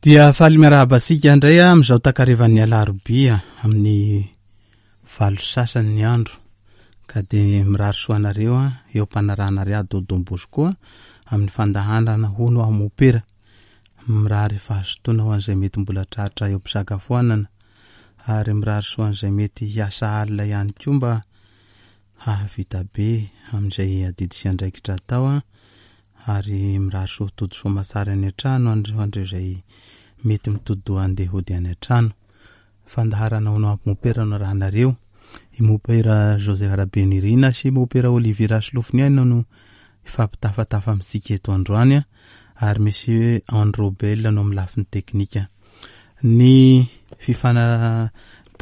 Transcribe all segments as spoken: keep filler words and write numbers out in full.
Dia faly miarahaba antsika indray amin'izao takarivan'ny alarobia amin'ny valo sasany ny andro, ka dia mirary soa anareo eo am-panarahana Rado Don Bosco amin'ny fandaharana hono aho mopera. Mirary fahazotoana ho an'izay mety mbola tratra eo am-pisakafoanana, ary mirary soa an'izay mety hiasa alina ihany koa mba hahavita be amin'izay adidy sy andraikitra atao, ary mirary soa tody soa matsara any an-trano ho an'ireo izay mety mitodi-doha handeha hody any an-trano. Fandaharana hono aho mopera no arahanareo. I mopera Joseph Rabenirina sy mopera Olivier Rasolofoniaina no hifampitafatafa amintsika eto androany, ary misy Androbel no amin'ny lafiny teknika. Ny fifana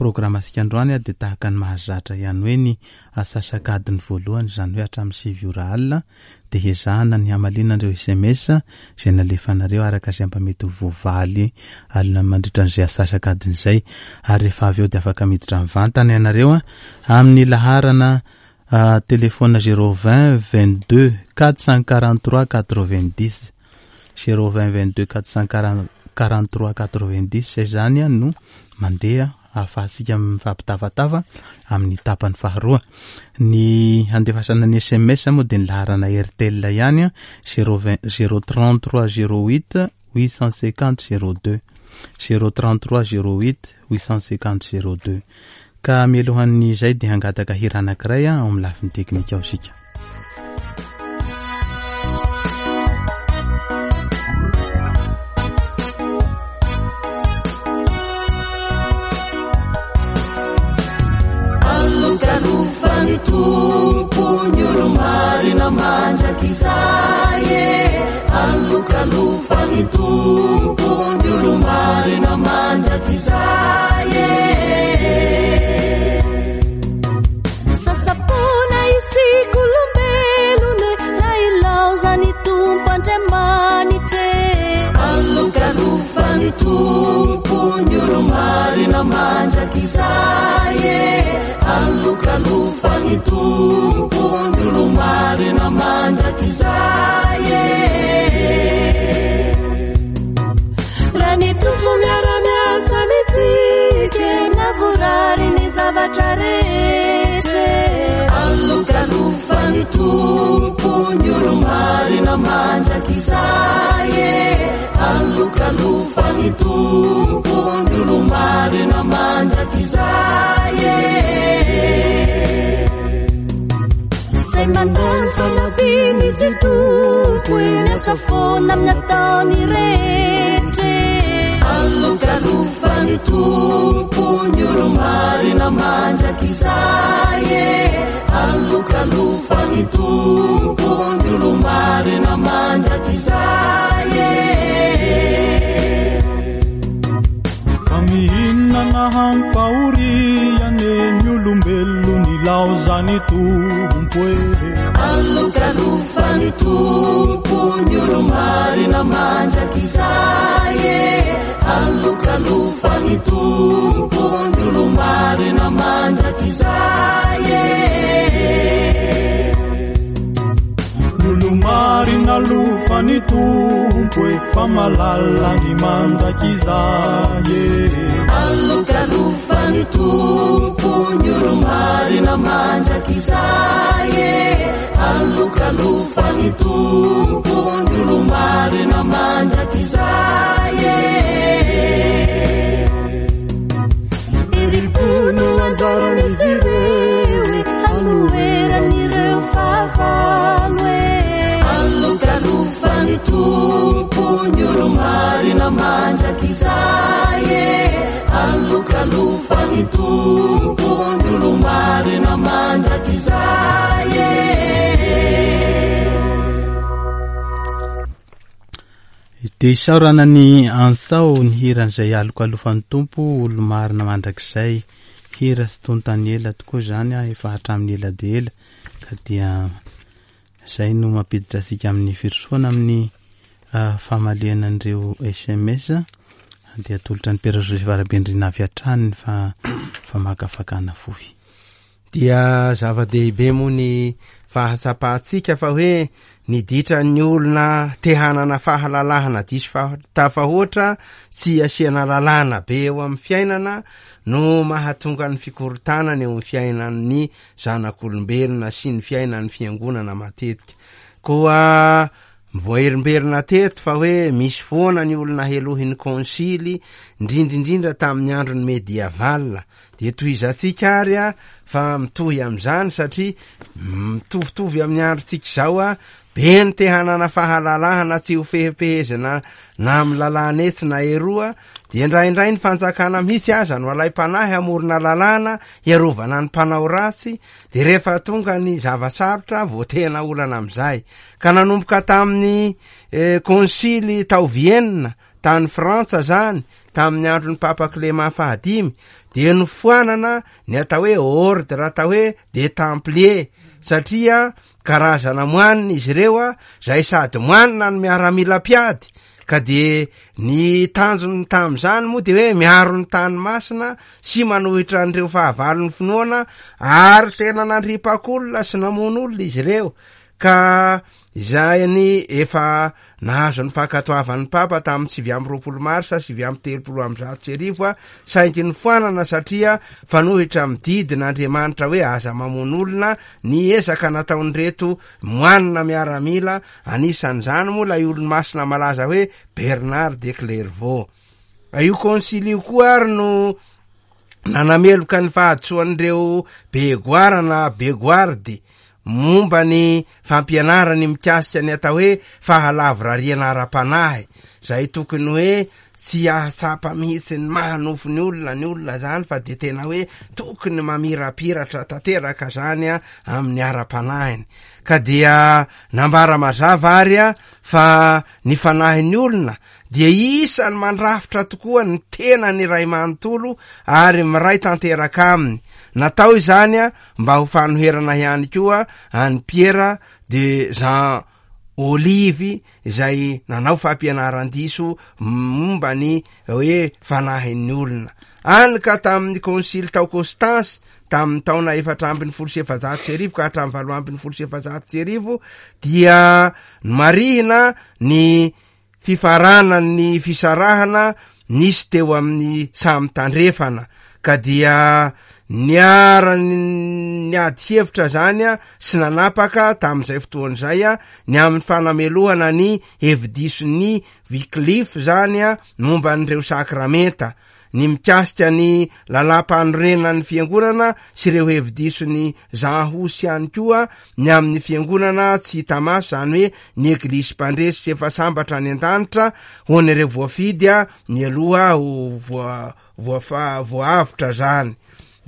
programantsika androany dia tahaka ny mahazatra ihany hoe ny asasakadiny voalohany, izany hoe hatramin'ny sivy ora alina, dia hezahana ny hamaliana ireo S M S izay nalefanareo araka izay mba mety ho voavaly alina mandritra an'izay asasakadiny izay. Ary rehefa avy eo dia afaka miditra mivantana ianareo amin'ny laharana telefona zéro vingt vingt-deux quatre cent quarante-trois quatre-vingt-dix, zéro vingt vingt-deux quatre cent quarante-trois quatre-vingt-dix. Izay izany no mandeha ahafahantsika mifampitafatafa amin'ny tapany faharoa. Ny handefasana ny S M S moa dia ny laharana Airtel ihany, zéro vingt, zéro trente-trois zéro huit huit cent cinquante zéro deux, zéro trente-trois zéro huit huit cent cinquante zéro deux. Ka mialohan'izay dia hangataka hira anankiray ao amin'ny lafiny teknika ao isika. Alokalofan'ny Tompo ny olo-marina mandrakizay e. Alokalofan'ny Tompo ny olo-marina mandrakizay e. Sasapona isika olombelona raha ilaozan'ny Tompo Andriamanitra e. Alokalofan'ny Tompo ny olo-marina mandrakizay e. Alokalofan'ny Tompo ny olo-marina mandrakizay e. Raha ny Tompo miara-miasa amintsika, lavorary ny zavatra rehetra. Alokalofan'ny Tompo ny olo-marina mandrakizay e. Alokalofan'ny Tompo ny olo-marina mandrakizay e. Izay mandany fanampian'izy Tompo e, miasa foana amin'ny ataony rehetra. Alokalofan'ny Tompo ny olo-marina mandrakizay e. Alokalofan'ny Tompo ny olo-marina mandrakizay e. Fa mihinana hampahoriana ny olombelona nilaozan'ny Tompo e. Alokalofan'ny Tompo ny olo-marina mandrakizay e. Alokalofan'ny Tompo ny olo-marina mandrakizay e. Ny olo-marina alofan'ny Tompo e, fa malala ny mandrakizay e. Alokalofan'ny Tompo ny olo-marina mandrakizay e. Alokalofan'ny Tompo ny olo-marina mandrakizay e. Herim-po no anjaran'izy ireo e, hanoheran'ireo fahavalo e. Alokalofan'ny Tompo ny olo-marina mandrakizay e. Alokalofan'ny Tompo ny olo-marina mandrakizay e. Dia isaorana ny Ansao ny hiran'izay alokalofan'ny Tompo olo-marina mandrakizay. Hira sy tontany ela tokoa izany, efa hatramin'ny ela dia ela, ka dia izay no mampiditra antsika amin'ny firosoana amin'ny, ah, famaliana an'ireo S M S. Dia atolotra ny Père Joseph Rabenirina avy hatrany ny fa-, famakafakana fohy. Dia zava-dehibe moa ny fahatsapantsika fa hoe ny ditran'ny olona te hanana fahalalahana diso tafahoatra, tsy asiana lalàna be eo amin'ny fiainana no mahatonga ny fikorontanana eo amin'ny fiainan'ny zanak'olombelona sy ny fiainan'ny fiangonana matetika. Koa voaherimberina teto fa hoe misy foana ny olona helohin'ny konsily, indrindrindrindra tamin'ny andron'ny mediaval. Dia tohizantsika ary a fa mitohy amin'izany satria mitovitovy amin'ny androntsika izao a, be ny te hanana fahalalahana tsy ho fehipehezina na amin'ny lalàna etsy na eroa, dia indraindray ny fanjakana mihitsy aza no alaim-panahy hamorona lalàna hiarovana ny mpanao ratsy, dia rehefa tonga ny zava-tsarotra vao tena olana amin'izay. Ka nanomboka tamin'ny eh, konsily tao Vienne tany Frantsa zany, tamin'ny andron'ny Papa Clément fahadimy, dia nofoanana ny atao hoe ordre atao hoe des Templiers, satria karazana moanina izy ireo a, zay sady moanina no miaramila mpiady, ka de ny tanjony tamin'izany moa de hoe miaro ny tany masina sy manohitra an'ireo fahavalon'ny finoana, ary tena nandripak'olona sy namono olona izy ireo. Ka izay ny efa nahazo ny fankatoavan'ny Papa tamin'ny sivy amby roapolo marsa sivy amby telopolo amby zato sy arivo a, saingy nofoanana satria fanohitra amin'ny didin'Andriamanitra hoe aza mamono olona ny ezaka nataon'ireto moanina miaramila, anisan'izany moa ilay olo-masina malaza hoe Bernard de Clairvaux. Io konsily io koa ary no nanameloka ny fahadisoan'ireo Begoara na Begoardy momba ny fampianarany mikasika ny atao hoe fahalavorariana ara-panahy, zay tokony hoe tsy ahatsapa mihitsy ny mahanofo ny olona ny olona zany, fa de tena hoe tokony mamirapiratra tanteraka zany a amin'ny ara-panahiny. Ka dia nambara mazava ary a fa ny fanahin'ny olona dia isany mandrafitra tokoa ny tenany iray manontolo ary miray tanteraka aminy. Natao izany a mba ho fanoherana ihany koa an'i Pierre de Jean Olive izay nanao fampianaran-diso momba ny hoe fanahin'ny olona. Any ka tamin'ny konsily tao Constance tamin'ny taona efatra ambin'ny folo sy efajato sy arivo ka hatramin'ny valo ambin'ny folo sy efajato sy arivo dia nomarihina ny fifaranan'ny fisarahana nisy teo amin'ny samy tandrefana, ka dia niara-niady hevitra zany a sy nanapaka tamin'izay fotoana izay a ny amin'ny fanamelohana ny hevi-dison'ny Wycliffe zany a momba an'ireo sakramenta, ny mikasika ny lalàm-panorenan'ny fiangonana sy ireo hevi-dison'ny Jean Hus ihany koa ny amin'ny fiangonana tsy hita maso, zany hoe ny eglisy mpandresy sy efa sambatra any an-danitra ho an'ireo voafidy a mialoha ho voa-, voafa-, voaavotra zany.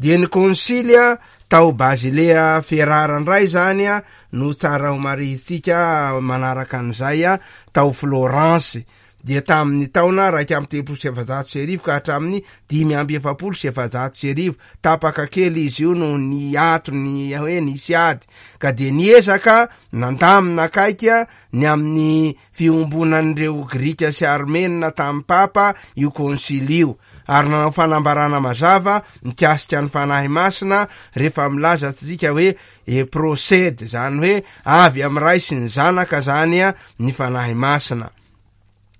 Dia ny konsily a tao Basilea Ferrara indray zany a no tsara ho marihintsika manaraka an'izay a tao Florence, dia tamin'ny taona raika amby telopolo sy efajato sy arivo ka hatramin'ny dimy amby efapolo sy efajato sy arivo. Tapaka kely izy io no niato ny hoe nisy ady, ka dia niezaka nandamina akaiky a ny amin'ny fiombonan'ireo Grika sy Armenina tamin'ny Papa io konsily io, ary nanao fanambarana mazava mikasika ny Fanahy Masina rehefa milaza tsika hoe e procède, zany hoe avy amin'ny Ray sy ny Zanaka zany a ny Fanahy Masina.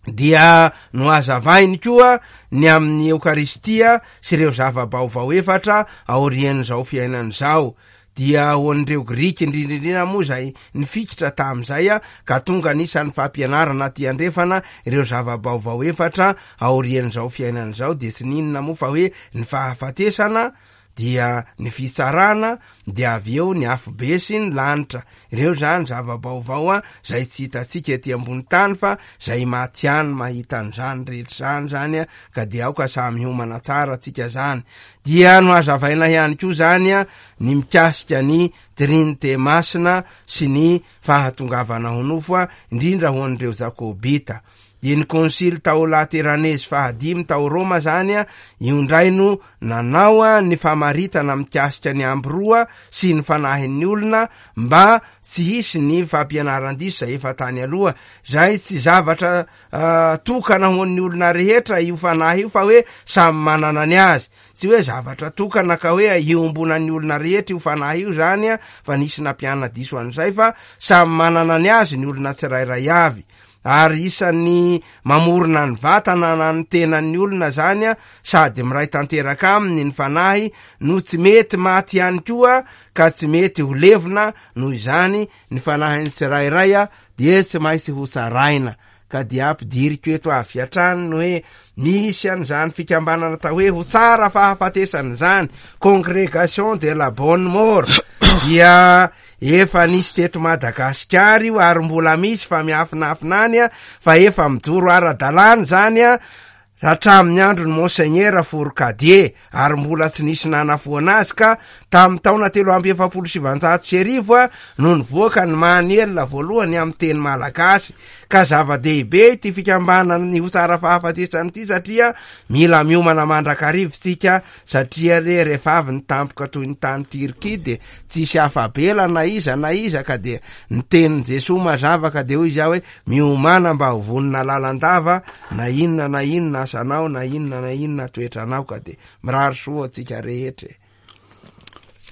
Dia nohazavainy koa ny amin'ny Eokaristia sy ireo zava-baovao efatra aorian'izao fiainana izao. Dia ho an'ireo Grika indrindrindrindra moa izay nifikitra tamin'izay a, ka tonga anisan'ny fampianarana aty andrefana ireo zava-baovao efatra aorian'izao fiainana izao, dia tsy n'inona moa fa hoe ny fahafatesana, dia ny fitsarana, dia avy eo ny afobe sy ny lanitra. Ireo zany zava-baovao a zay tsy hitantsika ety ambony tany fa zay maty ihany mahita an'izany rehetra izany zany a, ka dia aoka samy hiomana tsara tsika zany. Dia nohazavaina ihany koa zany a ny mikasika ny Trinite Masina sy ny fahatongavana ho nofo a, indrindra ho an'ireo Jakobita. Dia ny konsily tao Lateranesy fahadimy tao Roma zany a, io indray no nanao a ny famaritana mikasika ny ambiroa sy ny fanahin'ny olona mba tsy hisy ny fampianaran-diso zay efa tany aloha, zay tsy zavatra, ah, tokana ho an'ny olona rehetra io fanahy io fa hoe samy manana ny azy. Tsy hoe zavatra tokana ka hoe iombonan'ny olona rehetra io fanahy io zany a, fa nisy nampiana diso an'izay, fa samy manana ny azy ny olona tsirairay avy. Ary isan'ny mamorona ny vatana na ny tenan'ny olona zany a, sady miray tanteraka aminy ny fanahy no tsy mety maty ihany koa ka tsy mety ho levona. Noho izany ny fanahin'ny tsirairay a dia tsy maintsy ho tsaraina. Ka dia ampidiriko eto avy hatrany ny hoe misy an'izany fikambanana atao hoe ho tsara fahafatesana zany, Congrégation de la bonne mort, dia efa nisy teto Madagasikara io ary mbola misy fa miafinafina any a, fa efa mijoro ara-dalàna zany a hatramin'ny andro ny Monseigneur Fourcadier, ary mbola tsy nisy nanafoana azy. Ka tamin'ny taona telo amby efapolo sivanjato sy arivo a no nivoaka ny manuel voalohany amin'ny teny malagasy. Ka zava-dehibe ity fikambanana ny ho tsara fahafatesana ity, satria mila miomana mandrakarivo tsika, satria re rehefa avy ny tampoka toy ny tany Turquie de tsisy afa-bela na iza na iza. Ka de ny tenin'i Jesoa mazava, ka de hoy izy aho hoe miomana mba ho vonona lalandava na inona na inona asanao na inona na inona toetranao. Ka de mirary soa antsika rehetra.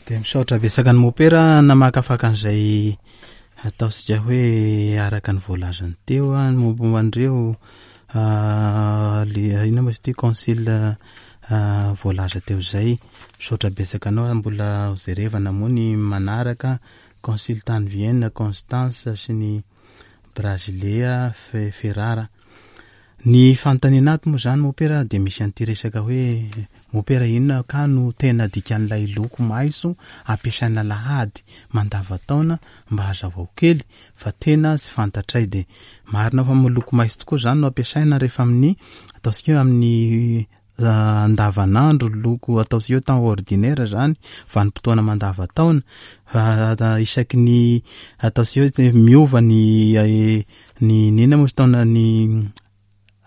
De misaotra betsaka ny mopera namakafaka an'izay ataontsika hoe araka ny voalazany teo a, ny momba an'ireo le inona moa izy ity concile voalaza teo izay. Misaotra betsaka anao, mbola ho jerevana moa ny manaraka concile tany Vienne, Constance sy ny Brasilea, Ferrara. Ny fanontaniana ato moa zany mopera dia misy an'ity resaka hoe mopera inona ka no tena dikan'ilay loko maitso ampiasaina lahady mandavataona, mba hazavao kely fa tena tsy fantatray. De marina fa loko maitso tokoa zany no ampiasaina rehefa amin'ny ataontsika hoe amin'ny andavanandro, loko ataontsika hoe temps ordinaire zany, vanim-potoana mandavataona, fa isaky ny ataontsika hoe miova ny ny inona moa izy taona ny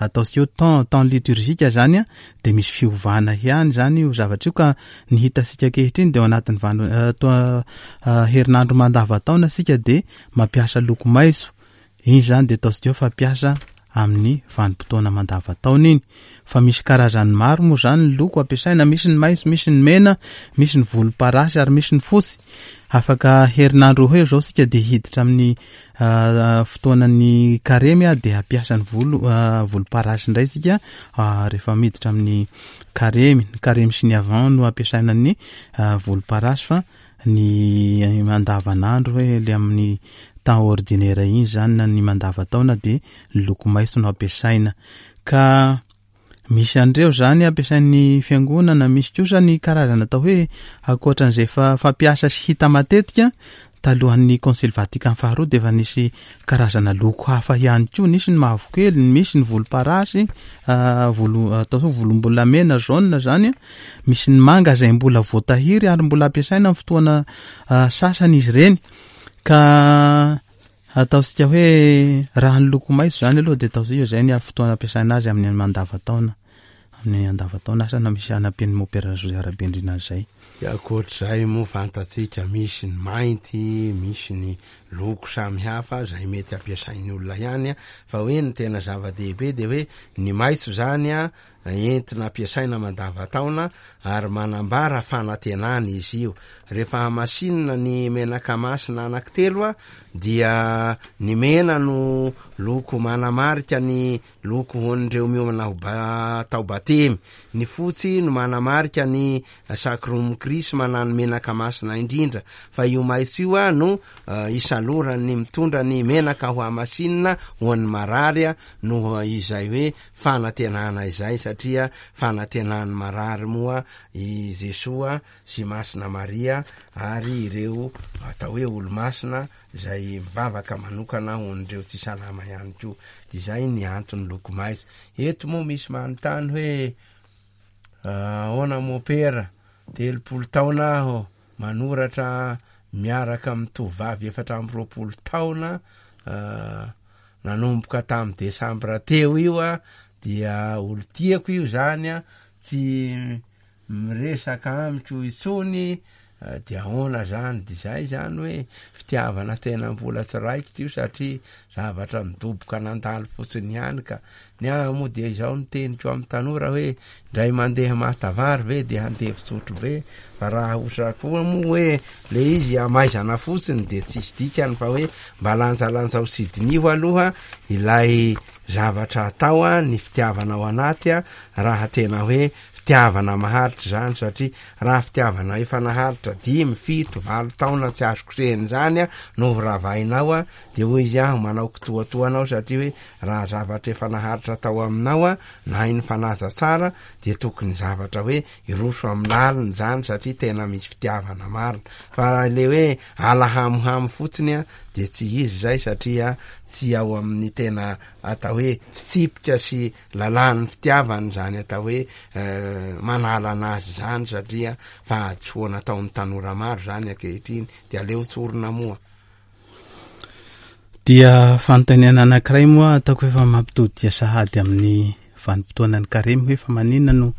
ataontsika hoe temps temps liturgique zany a, de misy fiovana ihany zany io zavatra io. Ka ny hitantsika ankehitriny de ao anatin'ny vano herinandro mandavataona sika de mampiasa loko maitso iny zany, de ataontsika hoe fampiasa amin'ny vanim-potoana mandavataona iny. Fa misy karazany maro moa zany ny loko ampiasaina, misy ny maitso, misy ny mena, misy ny volomparasy ary misy ny fotsy. Afaka herinandro eo zao sika de hiditra amin'ny fotoanan'ny karemy a, de hampiasa ny volo volomparasy indray sika rehefa miditra amin'ny karemy. Ny karemy sy ny avant no ampiasaina ny volomparasy, fa ny mandavanandro hoe le amin'ny temps ordinaire iny zany na ny mandavataona de ny loko maitso no ampiasaina. Ka misy an'ireo zany ampiasain'ny fiangonana, misy kosa ny karazana atao hoe ankoatran'izay fa fampiasa sy hita matetika talohan'ny Concile Vatican faharoa de efa nisy karazana loko hafa ihany koa, nisy ny mavokely, misy ny volomparasy, volo atao hoe volombolamena jaune zany, misy ny manga izay mbola voatahiry ary mbola ampiasaina amin'ny fotoana sasany izy ireny. Ka ataontsika hoe raha ny loko maitso zany aloha de ataontsika hoe zay ny fotoana ampiasaina azy amin'ny mandavataona, amin'ny andavataona asa na misy anampian'ny mopera José Rabendrina an'izay. De ankoatr'izay moa fantatsika misy ny mainty, misy ny loko samihafa zay mety ampiasain'ny olona ihany, fa hoe ny tena zava-dehibe de hoe ny maitso zany a entina ampiasaina mandavataona ary manambara fanantenana izy io. Rehefa hamasinina ny menaka masina anankitelo a, dia ny mena no loko manamarika ny loko hoan'ireo miomana ho atao batemy, ny fotsy no manamarika ny sacrum chrisma na ny menaka masina indrindra, fa io maitso io a no isalorany mitondra ny menaka ho hamasinina ho an'ny marary a, noho izay hoe fanantenana izay, satria fanantenan'ny marary moa i Jesoa sy Masina Maria ary ireo atao hoe olo-masina izay mivavaka manokana ho an'ireo tsy salama ihany koa. De izay ny antony loko maitso. Eto moa misy manontany hoe ahoana mopera, telopolo taona aho manoratra miaraka amin'ny tovovavy efatra amby roapolo taona, nanomboka tamin'ny desambra teo io a, dia olo tiako io zany a, tsy miresaka amiko intsony, De ahoana zany? De zay zany hoe fitiavana tena mbola tsy raikitra io, satria zavatra midoboka nandalo fotsiny ihany. Ka ny ahy moa de izao ny teniko amin'ny tanora hoe ndray mandeha mahatavary ve de handeha fisotro be, fa raha ohatra koa moa hoe le izy amaizana fotsiny de tsisy dikany, fa hoe mba lanjalanjao sy diniho aloha ilay zavatra atao a, ny fitiavana ao anaty a, raha tena hoe fitiavana maharitra zany, satria raha fitiavana efa naharitra dimy, fito, valo taona tsy azo kosehiny zany a no horavainao a, de hoy izy aho manao kitoatoa anao, satria hoe raha zavatra efa naharitra tao aminao a, na iny fanaja tsara, de tokony zavatra hoe iroso amin'ny laliny zany, satria tena misy fitiavana marina. Fa le hoe alahamohamo fotsiny a de tsy izy zay, satria tsy ao amin'ny tena atao hoe fitsipika sy lalàn'ny fitiavana zany atao hoe manala anazy zany, satria fahadisoana ataon'ny tanora maro zany ankehitriny, de aleo tsorina moa. Dia fanontaniana anankiray moa ataoko efa mampitodika sahady amin'ny vanim-potoanan'ny karemy, hoe fa maninona no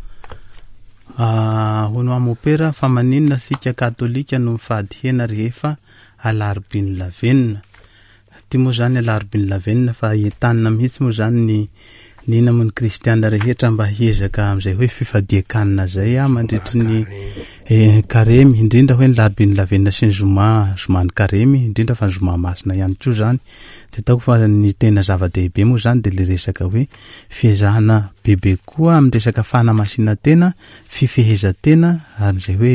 hono amopera, fa maninona sika katolika no mifady hena rehefa alarobin'ny lavenona? Ty moa zany alarobin'ny lavenona, fa entanina mihitsy moa zany ny nina moa ny kristiana rehetra mba hiezaka amin'izay hoe fifadian-kanina zay a mandritry ny karemy, indrindra hoe ny larobin'ny lavenona sy ny zoma, zoman'ny karemy, indrindra fa ny zoma masina ihany koa zany. De ataoko fa ny tena zava-dehibe moa zany de le resaka hoe fiezahana bebe koa amin'ny resaka fanamasinan-tena, fifehezan-tena, amin'izay hoe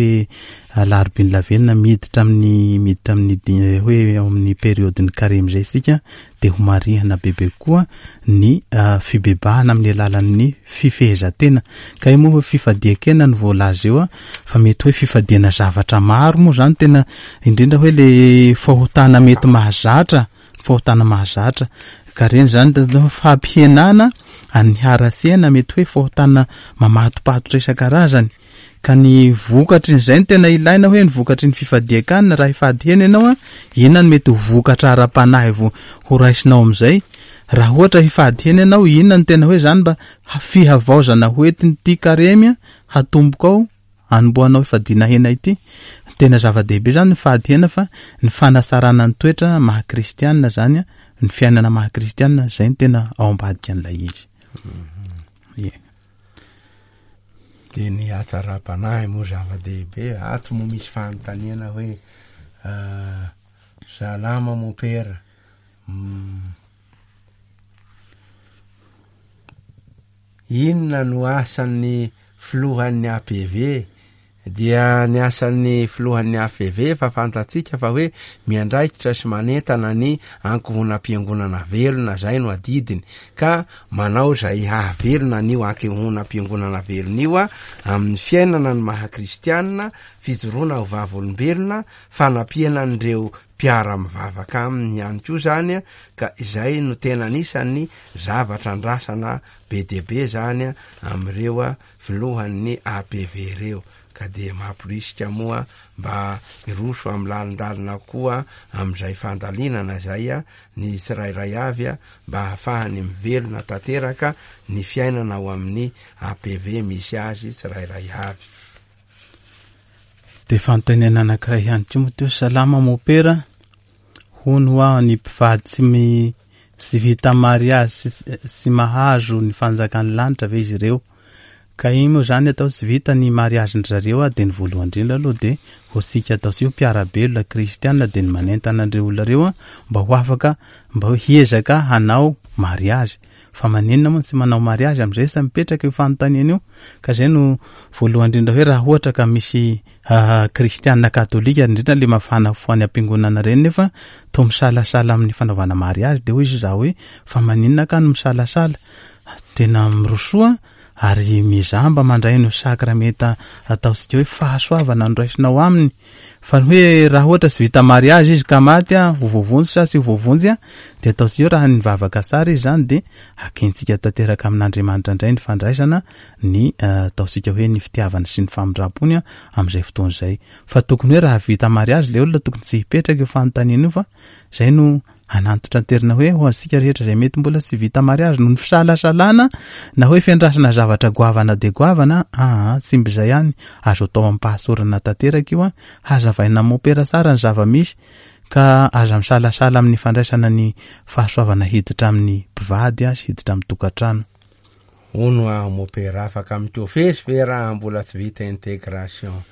alarobin'ny lavenona miditra amin'ny, miditra amin'ny di-, hoe ao amin'ny période-n'ny karemy zay isika, de ho marihana bebe koa ny fibebahana amin'ny alalan'ny fifehezan-tena. Ka io moa hoe fifadian-kena no voalaza eo a, fa mety hoe fifadiana zavatra maro moa zany tena, indrindra hoe le fahotana mety mahazatra, fahotana mahazatra. Ka reny zany de fampihenana an'ny haratsiana, mety hoe fahotana mamatopatotra isan-karazany. Ka ny vokatry ny zay no tena ilaina, hoe ny vokatry ny fifadian-kanina, raha hifady hena ianao a, inona no mety ho vokatra ara-panahy vo ho raisinao amin'izay? Raha ohatra hifady hena ianao, inona no tena hoe zany mba fihavaozana ho entin'ity karemy a, hatomboka ao anombohanao hifadiana hena ity? Tena zava-dehibe zany ny fady hena, fa ny fanatsarana ny toetra maha kristianina zany a, ny fiainana maha kristianina, zay no tena ao ambadika an'ilay izy. Ie. De ny hatsaram-panahy moa zava-dehibe. Ato moa misy fanontaniana hoe salama mopera, inona no asan'ny filohan'ny A P V? Dia ny asan'ny filohan'ny A P V efa fantatsika fa hoe miandraikitra sy manentana ny ankohonam-piangonana velona, zay no adidiny, ka manao zay hahavelona an'io ankohonam-piangonana velona io a, amin'ny fiainana ny maha kristianina, fijoroana ho vavolombelona, fanampiana an'ireo mpiara-mivavaka aminy ihany koa zany a, ka izay no tena anisan'ny zavatra andrasana be dia be zany a, amin'ireo a filohan'ny A P V ireo. Ka dia mamporisika moa mba hiroso amin'ny lalindalina koa amin'izay fandalinana izay a, ny tsirairay avy a, mba hahafahany mivelona tanteraka ny fiainana ao amin'ny A P V misy azy tsirairay avy. De fanontaniana anankiray ihany koa moa teo, salama mopera, hono ho aho ny mpivady tsy mi-, tsy vita mariazy sy, sy mahazo ny fanjakan'ny lanitra ve izy ireo? Ka iny moa zany atao tsy vita ny mariazy-ndry zareo a, de ny voalohany indrindra aloha de ho tsika atao tsy ho mpiara-belona kristianina, de ny manentana an'ireo olona ireo a, mba ho afaka, mba ho hiezaka hanao mariazy. Fa maninona moa tsy manao mariazy amin'izay sa mipetraka io fanontaniana io? Ka zay no voalohany indrindra hoe raha ohatra ka misy, ah, kristianina katolika, indrindra le mafana fo any am-piangonana ireny, nefa toa misalasala amin'ny fanaovana mariazy, de hoy izy za hoe fa maninona ka no misalasala? Tena mirosoa ary mizaha mba mandray ny sakramenta ataontsika hoe fahasoavana no raisinao aminy. Fa ny hoe raha ohatra tsy vita mariazy izy ka maty a, ho voavonjy sa tsy ho voavonjy a, de ataontsika hoe raha nivavaka tsara izy zany de hakentsika tanteraka amin'Andriamanitra indray ny fandraisana ny, eh, ataontsika hoe ny fitiavana sy ny famindram-pony a, amin'izay fotoana izay. Fa tokony hoe raha vita mariazy le olona tokony tsy hipetraka io fanontaniana io, fa zay no Hanantitranterina hoe ho antsika rehetra izay mety mbola tsy vita mariazy noho ny fisalasalana na hoe fiandrasana zavatra goavana dia goavana, aa tsy mba izay ihany, azo atao am-pahasorana tanteraka io, hazavaina mopera tsara ny zava-misy ka aza misalasala amin'ny fandraisana ny fahasoavana hiditra amin'ny mpivady sy hiditra amin'ny tokantrano. Hono aho mopera, afaka mikofesy ve raha mbola tsy vita intégration?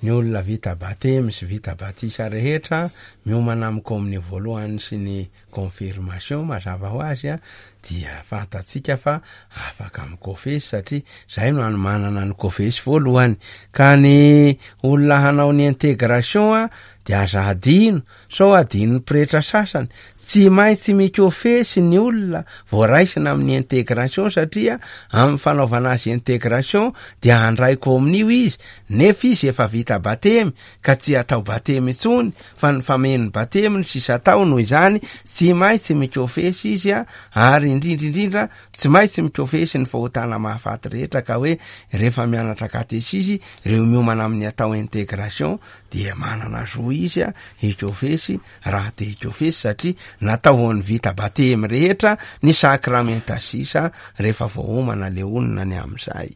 Ny olona vita batemy sy vita batisa rehetra miomana amin'ny komonio voalohany sy ny confirmation mazava ho azy a, dia fantatsika fa afaka mikofesy satria zay no anomanana ny kofesy voalohany. Ka ny olona hanao ny intégration a dia aza adino, sao adinon'ny pretra sasany. Tsy maintsy mikofesy ny olona voaraisina amin'ny intégration satria amin'ny fanaovana azy intégration dia handray komonio izy, nefa izy efa vita batemy ka tsy atao batemy intsony fa ny fameno batemy no sisa atao. Noho izany tsy maintsy mikofesy izy a, ary indrindra indrindra tsy maintsy mikofesy ny fahotana mahafaty rehetra. Ka hoe rehefa mianatra katesizy ireo miomana amin'ny atao intégration dia manana zo izy a hikofesy raha te hikofesy, satria natao ho an'ny vita batemy rehetra ny sakramenta sisa rehefa voaomana le olona ny amin'izay.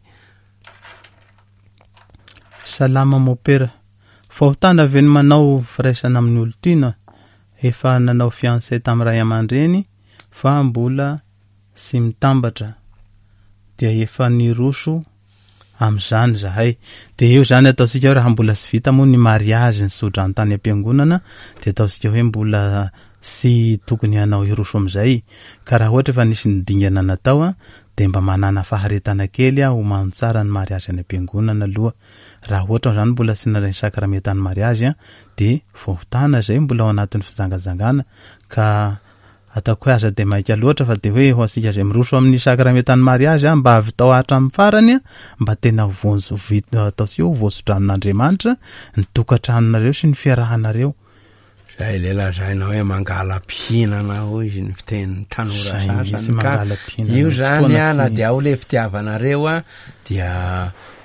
Salama mopera, fahotana ve ny manao firaisana amin'ny olon-tiana? Efa nanao fiancé tamin'ny ray aman-dreny fa mbola tsy mitambatra dia efa niroso amin'izany zahay. Dia eo zany ataontsika hoe raha mbola tsy vita moa ny mariazy ny tsodrano tany am-piangonana dia ataontsika hoe mbola tsy tokony hanao hiroso amin'izay. Ka raha ohatra efa nisy ny dingana natao a, dia mba manana faharetana kely a, homano tsara ny mariazy any am-piangonana aloha. Raha ohatra zany mbola tsy nandray ny sakramentan'ny mariazy a, dia fahotana zay mbola ao anatin'ny fijangajangana. Ka ataoko hoe aza dia maika loatra fa dia hoe ho antsika izay miroso amin'ny sakramentan'ny mariazy a, mba havitao hatramin'ny farany a, mba tena vonjy vita ataontsika hoe voasodranon'Andriamanitra ny tokantranonareo sy ny fiarahanareo. Zay le lazaina hoe mangala-pihinana hoy izy ny fitenin'ny tanora Zay mihitsy sasany ka mangala-pihinana io ny zany fotoana a, na tsy dia ao le fitiavanareo a, dia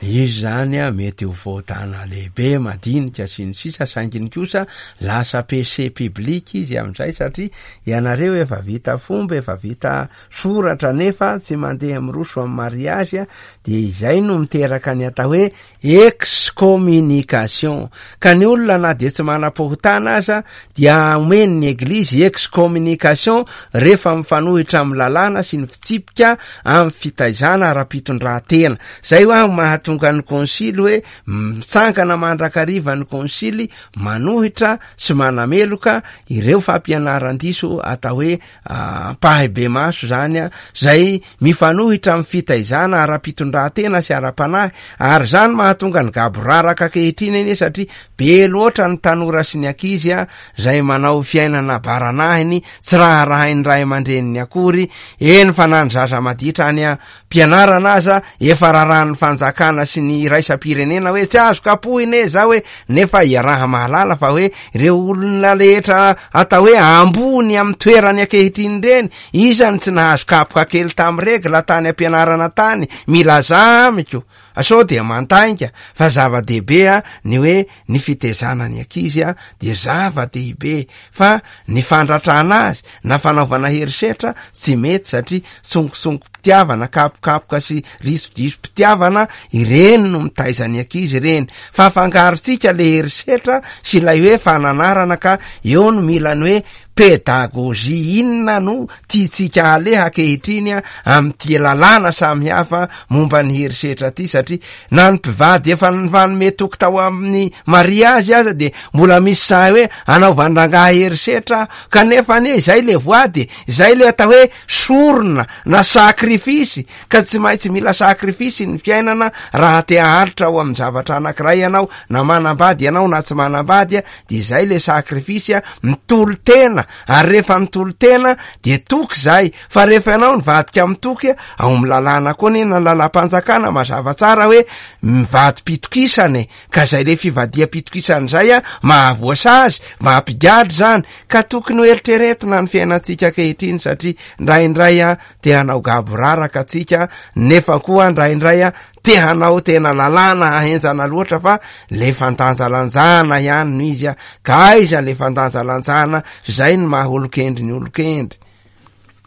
izy zany a mety ho fahotana lehibe madinika sy ny sisa, sainginy kosa lasa péché public izy amin'izay satria ianareo efa vita fomba, efa vita soratra nefa tsy mandeha miroso amin'ny mariazy a, dia izay no miteraka ny atao hoe excommunication. Ka ny olona na dia tsy manam-pahotana aza dia omeny ny eglizy excommunication rehefa mifanohitra amin'ny lalàna sy ny fitsipika amin'ny fitaizana ara-pitondran-tena. Zay hoa mahatonga ny konsily hoe mitsangana mandrakariva ny konsily manohitra sy manameloka ireo fampianaran-diso atao hoe ampahibemaso zany a, zay mifanohitra amin'ny fitaizana ara-pitondran-tena sy ara-panahy. Ary zany mahatonga ny gaboraraka ankehitriny anie, satria be loatra ny tanora sy ny ankizy a, zay manao fiainana baranahiny, tsy raharahain'ny ray aman-dreniny akory. Eny fa na ny zaza maditra any am-pianarana aza efa rarahan'ny fanjakana sy ny iraisam-pirenena hoe tsy azo kapohina e zao hoe, nefa iaraha mahalala fa hoe ireo olona rehetra atao hoe ambony amin'ny toerany ankehitriny ireny, isany tsy nahazo kapoka kely tamin'ny regla tany am-pianarana tany, milaza amiko sao dia mantainga. Fa zava-dehibe a ny hoe ny fitezana ny ankizy a dia zava-dehibe, fa ny fandratrana azy na fanaovana herisetra tsy mety, satria tsongosongo-pitiavana, kapokapoka sy risodiso-pitiavana ireny no mitaiza ny ankizy ireny. Fa afangarontsika le herisetra sy ilay hoe fananarana, ka eo no mila ny hoe pédagogie. Inona no tiantsika aleha ankehitriny a amin'ity lalàna samihafa momba ny herisetra ty, satria na ny mpivady efa nifanome toky tao amin'ny mariazy aza dia mbola misy sahy hoe anaovan-drangahy herisetra, kanefa anie izay le voady, izay le atao hoe sorona na sakrifisy, ka tsy maintsy mila sakrifisy ny fiainana raha te haharitra ao amin'ny zavatra anankiray ianao, na manambady ianao na tsy manambady a, dia izay le sakrifisy a, mitolo-tena. Ary rehefa mitolo-tena dia toky zay, fa rehefa ianao nivadika amin'ny toky a, ao amin'ny lalàna koa anie na lalàm-panjakana mazava tsara hoe mivadi-pitokisana e, ka zay le fivadiam-pitokisana zay a mahavoasazy, mampigadra zany. Ka tokony ho eritreretina ny fiainantsika ankehitriny, satria indraindray a te hanao gaboraraka atsika, nefa koa indraindray a te hanao tena lalàna ahenjana loatra fa le fandanjalanjana ihany no izy a. Ka aiza le fandanjalanjana? Zay ny maha olon-kendry ny olon-kendry.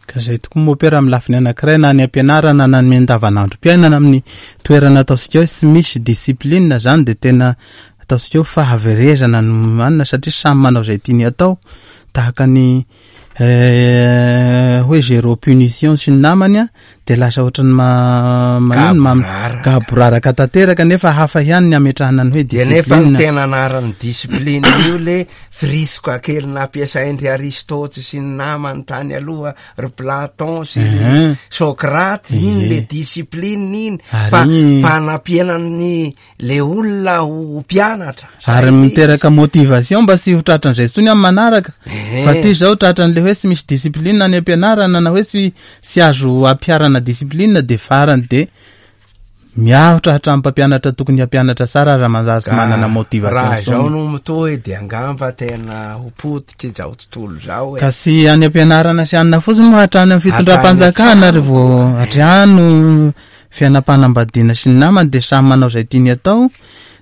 Ka zay tokoa mopera amin'ny lafiny anankiray, na ny ampianarana na ny andavanandrom-piainana amin'ny toerana ataontsika hoe tsy misy discipline zany de tena ataontsika hoe fahaverezana no anina, satria samy manao izay tiany atao, tahaka ny hoe zéro punition sy ny namany a, de lasa ohatran'ny ma-, manino, ma-, Gaboraraka. gaboraraka tanteraka, nefa hafa ihany ny ametrahana ny hoe De nefa ny discipline. tena anaran'ny discipline io le firisoka kely nampiasain-dry Aristote sy ny namany tany aloha, ry Platon sy ry Mhm. Socrate, iny Ie. le discipline iny, Ary fa iny fanampianany le olona ho mpianatra. Ary Zay le miteraka izy. motivation mba tsy ho tratran'izay intsony amin'ny manaraka. Ehe. Fa ty zao tratran'le hoe tsy misy discipline any am-pianarana na hoe tsy, tsy azo ampiharana discipline, de farany de miahotra hatramin'ny mpampianatra tokony hampianatra tsara raha manjary tsy Ka manana motivation raha intsony. zao no mitohy de angamba tena ho potiky zao tontolo zao e. Ka tsy any am-pianarana sy anina fotsiny moa, hatrany amin'ny fitondram-panjakana Hatrany ry vao hatrano fiainam-panambadiana sy ny namany de samy manao izay tiany atao,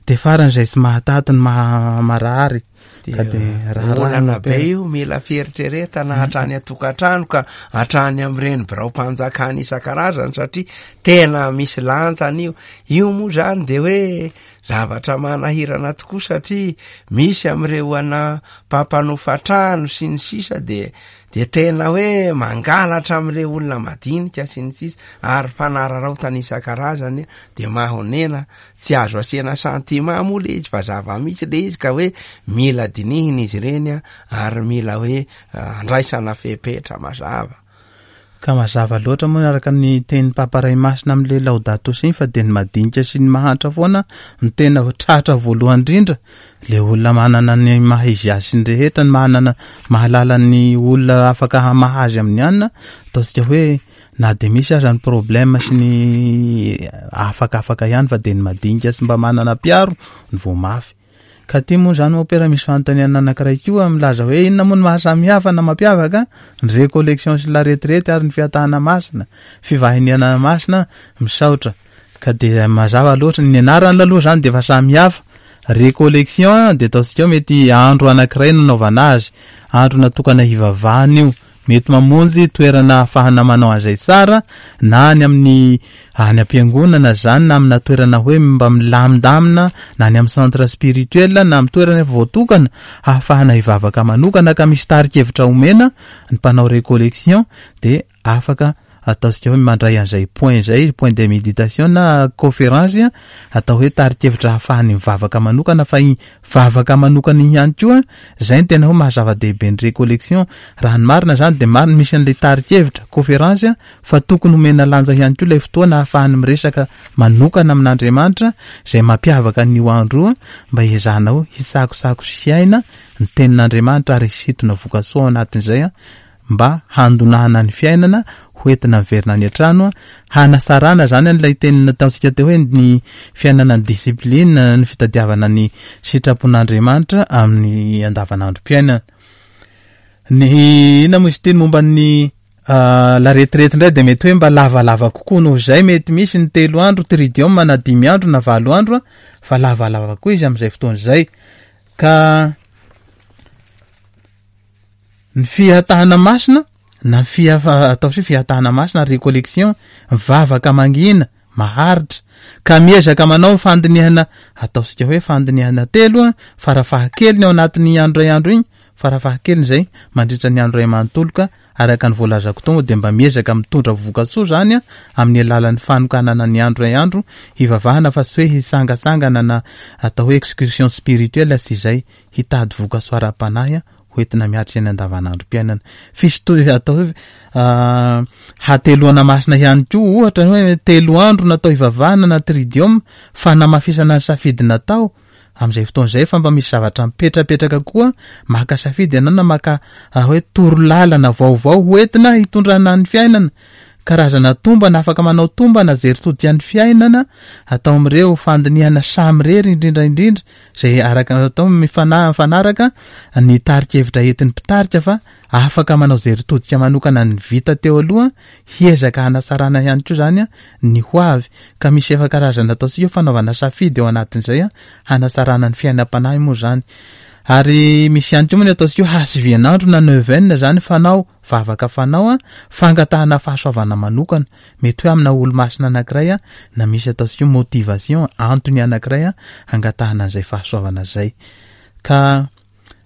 de farany izay tsy mahataty ny maha-, marary. De Ka de raharaha olana be no io, mila fieritreretana hatrany an-tokantrano ka hatrany amin'ireny biraom-panjakana isan-karazany, satria tena misy lanjany io. Io moa zany de hoe zavatra manahirana tokoa, satria misy amin'ireo ana mpampanofa trano sy ny sisa de, de tena hoe mangalatra amin'ireo olona madinika sy ny sisa, ary fanararaotana isan-karazany de mahonena, tsy azo asiana sentiment moa le izy fa zava-misy le izy, ka hoe mila dinihina izy ireny a, ary mila hoe andraisana fepetra mazava. Ka mazava loatra moa araka ny tenin'ny Papa Ray Masina amin'ilay Laudato Si iny, fa de ny madinika sy ny mahantra foana no tena tratra voalohany indrindra. Le olona manana ny maha izy azy sy ny rehetra, ny manana mahalala ny olona afaka hamahazy amin'ny anina, ataontsika hoe na de misy aza ny problème sy ny afakafaka ihany, fa de ny madinika sy mba manana mpiaro ny vao mafy. Ka ty moa zany mopera misy fanontaniana anankiray koa milaza hoe inona moa no mahasamihafa na mampiavaka ny récollection sy la retraite ary ny fiatahana masina, fivahiniana masina, misaotra. Ka de mazava loatra ny anarany aloha zany de efa samihafa. Récollection de ataontsika hoe mety andro anankiray nanaovana azy, andro natokana hivavahana io, mety mamonjy toerana ahafahana manao an'izay tsara, na any amin'ny any am-piangonana zany, na amina toerana hoe mba milamindamina, na any amin'ny centre spirituel, na amin'ny toerana efa voatokana ahafahana hivavaka manokana, ka misy tari-kevitra omena ny mpanao récollection, de afaka ataontsika hoe mandray an'izay point zay, point de méditation na conférence, atao hoe tari-kevitra ahafahany mivavaka manokana, fa iny vavaka manokana iny ihany koa zay ny tena hoe mahazava-dehibe ny récollection. Raha ny marina zany de marina misy an'ilay tari-kevitra conférence, fa tokony homena lanja ihany koa ilay fotoana ahafahany miresaka manokana amin'Andriamanitra, izay mampiavaka an'io andro io, mba hiezahanao hisakosako sy hiaina ny tenin'Andriamanitra ary hisintona voka-tsoa ao anatin'izay, mba handonahana ny fiainana, hoentina miverina any an-trano, hanasarana zany an'ilay teny nataontsika teo hoe ny fiainana ny discipline, ny fitadiavana ny sitrapon'Andriamanitra amin'ny andavanandrom-piainana. Ny inona moa izy ity momba ny, ah, la retraite indray de mety hoe mba lavalava kokoa noho izay, mety misy ny telo andro tridium na dimy andro na valo andro, fa lavalava koa izy amin'izay fotoana izay. Ka ny fihatahana masina na fia-, atao hoe fihatahana masina, récollection, vavaka mangina maharitra, ka miezaka manao fandinihana, ataontsika hoe fandinihana telo a, farafahakeliny ao anatin'ny andro iray andro iny, farafahakeliny izay mandritra ny andro iray manontolo, ka araka ny voalazako teo moa de mba miezaka mitondra voka-tsoa zany a, amin'ny alalan'ny fanokanana ny andro iray andro hivavahana, fa tsy hoe hisangasangana na atao hoe excursion spirituelle sy izay, hitady voka-tsoa ara-panahy a, hoentina miatrika ny andavanandrom-piainana. Fisy atao hoe, ah, hateloana masina ihany koa, ohatra hoe telo andro natao hivavahana na tridium, fanamafisana ny safidy natao amin'izay fotoana izay, fa mba misy zavatra mipetrapetraka koa, maka safidy ianao na maka, ah, hoe torolalana vaovao hoentina hitondrana ny fiainana, karazana tombana, afaka manao tombana jery todika ny fiainana, atao amin'ireo fandinihana samirery indrindra indrindra, izay araka atao mifana-, mifanaraka ny tari-kevitra entin'ny mpitarika, fa afaka manao jery todika manokana ny vita teo aloha, hiezaka hanatsarana ihany koa zany a ny ho avy. Ka misy efa karazana ataontsika hoe fanaovana safidy ao anatin'izay a hanatsarana ny fiainam-panahy moa zany. Ary misy ihany koa moa ny ataontsika hoe hasivian'andro na neuvaine zany, fanao vavaka fanao a fangatahana fahasoavana manokana, mety hoe amina olo-masina anankiray a na misy ataontsika hoe motivation, antony anankiray a hangatahana an'izay fahasoavana zay. Ka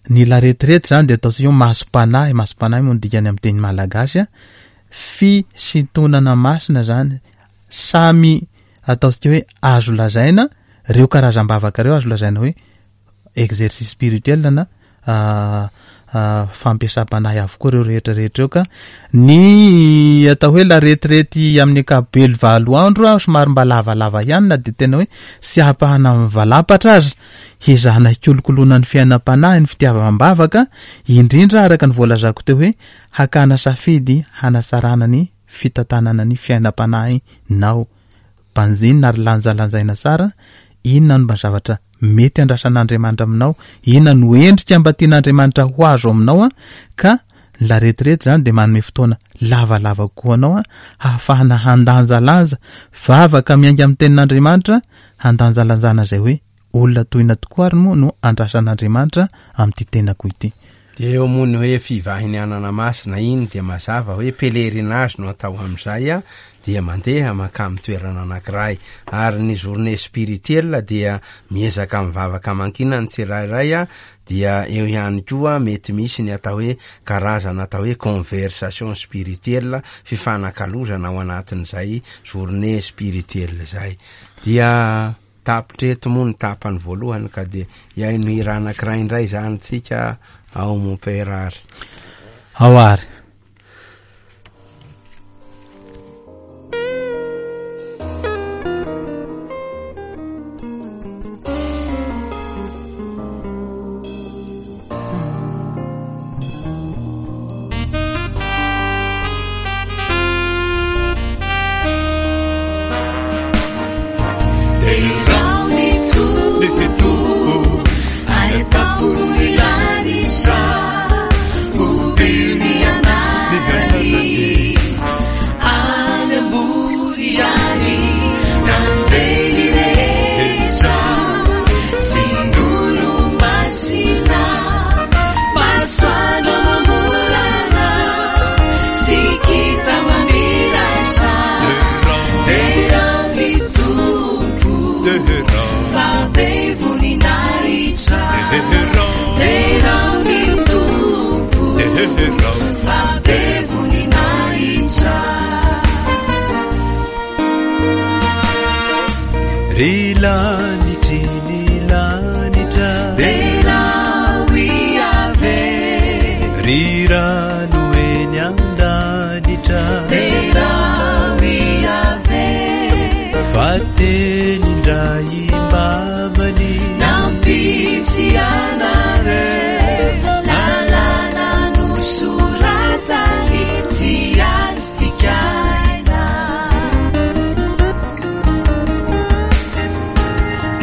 ny la retraite zany dia ataontsika hoe masom-panahy, masom-panahy moa no dikany amin'ny teny malagasy a fisintonana masina zany, samy ataontsika hoe azo lazaina reo karazam-bavaka reo, azo lazaina hoe exercice spirituel na fampiasam-panahy avokoa reo rehetra rehetra eo. Ka ny atao hoe la retraite amin'ny ankapobeny valo andro a somary mba lavalava ihany, na dia tena hoe tsy ahapahana mivalapatra aza, hezahana hikolokoloana ny fiainam-panahy, ny fitiavam-bavaka, indrindra araka ny voalazako teo hoe hakana safidy hanatsarana ny fitantanana ny fiainam-panahy nao, banjinina ary lanjalanjaina tsara inona no mba zavatra mety andrasan'Andriamanitra aminao, inona no endrika mba tian'Andriamanitra ho azo aminao a ka la retraite zany dia manome fotoana lavalava kokoa anao a hahafahana handanjalanja vavaka miainga amin'ny tenin'Andriamanitra, handanjalanjana izay hoe olona tohina tokoa ary moa no andrasan'Andriamanitra amin'ity tenako ity. Dia eo moa ny hoe fivahinianana masina iny dia mazava hoe pèlerinage no atao amin'izay a dia mandeha mankamy toerana anankiray. Ary ny journée spirituelle dia miezaka mivavaka mankina ny tsirairay a dia eo ihany koa mety misy ny atao hoe karazana atao hoe conversation spirituelle, fifanakalozana ao anatin'izay journée spirituelle zay. Dia tapitreto moa ny tapany voalohany, ka dia iaino hira anankiray indray zany tsika ao mon père ary. Ao ary. Ry lanitry ny lanitra, ry rano eny an-danitra, fa teny indray mamany nampisy anareo lalàna nosoratany tsy azo dikaina.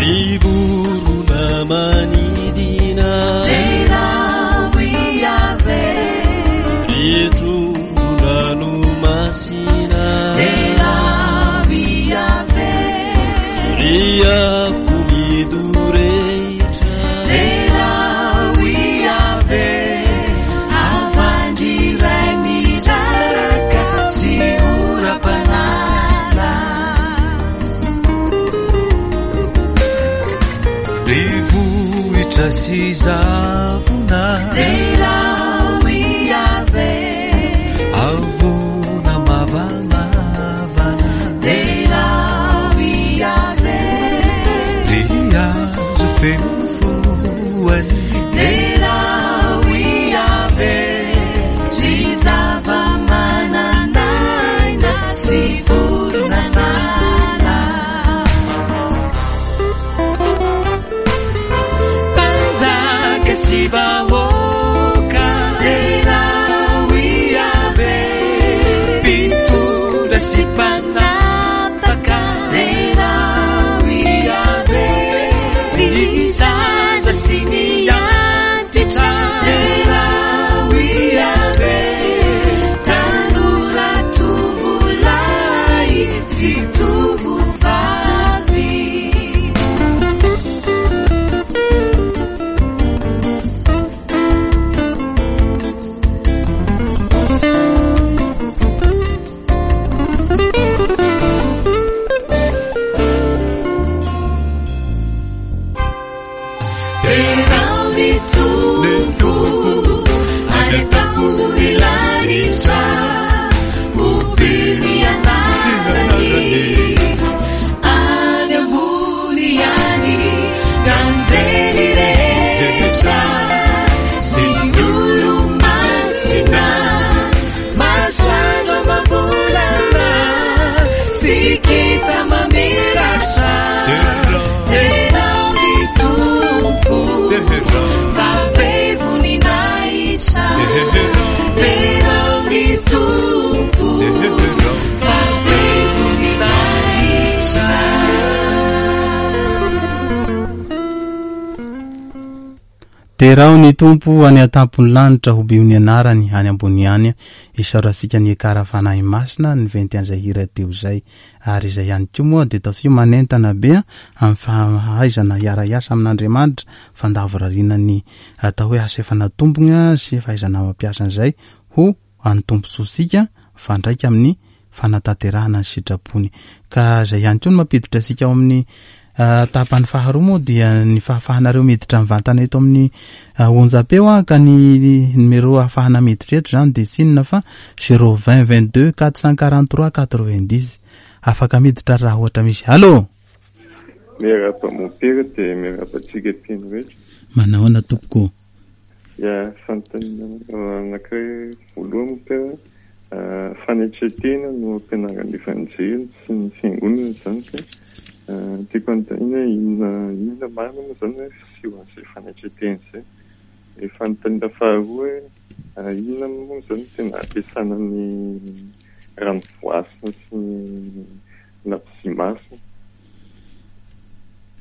Ry vorona manidina, Derao Yaveh, ry trondron-dranomasina, derao Yaveh, ry afo midorehitra, derao Yaveh, havandriray miraraka sy oram-panala. ry vohitra sy zavona, Derao Yaveh, avona mavamavana, derao Yaveh, ry hazo feno voany, derao Yaveh, ry zava-manan'aina sy vorona an'ala. Mpanjaka sy vahoaka, Derao Yaveh, mpitondra sy mpanapaka, derao Yaveh, ry Tompo any an-tampon'ny lanitra, hobio ny anarany. Any ambony any, ny anjely rehetra sy ny olo-masina, masoandro amam-bolana sy kintana mamiratra. Derao ny Tompo fa be voninahitra. Derao ny Tompo fa be voninahitra. Derao ny Tompo any an-tampon'ny lanitra, hobio ny anarany any ambony any. Isaorantsika ny Ekara Fanahy Masina ny venty an'izay hira teo izay. Ary izay ihany koa moa dia ataontsika manentana be amin'ny fahaizana hiara-hiasa amin'Andriamanitra, fandavorariana ny atao hoe asa efa natombony sy fahaizana mampiasa an'izay ho an'ny tombontsoantsika mifandraika amin'ny fanatanterahana ny sitrapony. Ka izay ihany koa no mampiditra antsika ao amin'ny tapany faharoa moa dia ny fahafahanareo miditra mivantana eto amin'ny onjam-peo a, ka ny numéro ahafahana miditra eto zany dia tsy inona fa zéro vingt vingt-deux quatre cent quarante-trois quatre-vingt-dix. Afaka miditra raha ohatra misy. Allô? Miarahaba mompera dia miarahaba antsika mpino rehetra. Manahoana tompoko? Ya, fanontaniana anankiray voalohany mompera, fanetren-tena no ampianaran'ny Evanjely sy ny fiangonana zany ka tiako anontaniana inona, inona marina moa zany hoe fisehoan'izay fanetren-tena izay. Ny fanontaniana faharoa hoe inona moa zany tena ampiasana ny rano voasina sy ny labozia masina.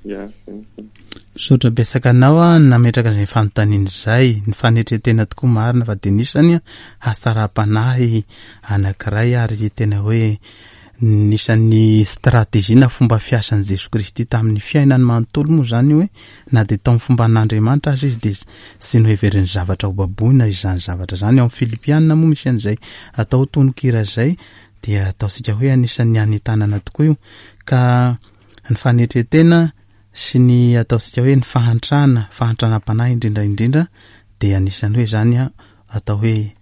Ya, zay. Misaotra betsaka anao a nametraka izay fanontaniana izay. Ny fanetren-tena tokoa marina fa dia nisany hatsaram-panahy anankiray ary tena hoe nisan'ny stratégie na fomba fiasan'i Jesoa Kristy tamin'ny fiainany manontolo moa zany hoe na dia tao amin'ny fomba an'Andriamanitra aza izy dia tsy noheverin'ny zavatra ho baboina izany zavatra izany. Ao amin'ny Filipiana moa misy an'izay atao tononkira izay dia ataontsika hoe anisan'ny anentanana tokoa io. Ka ny fanetren-tena sy ny ataontsika hoe ny fahantrana, fahantranam-panahy indrindra indrindra dia anisan'ny hoe zany atao hoe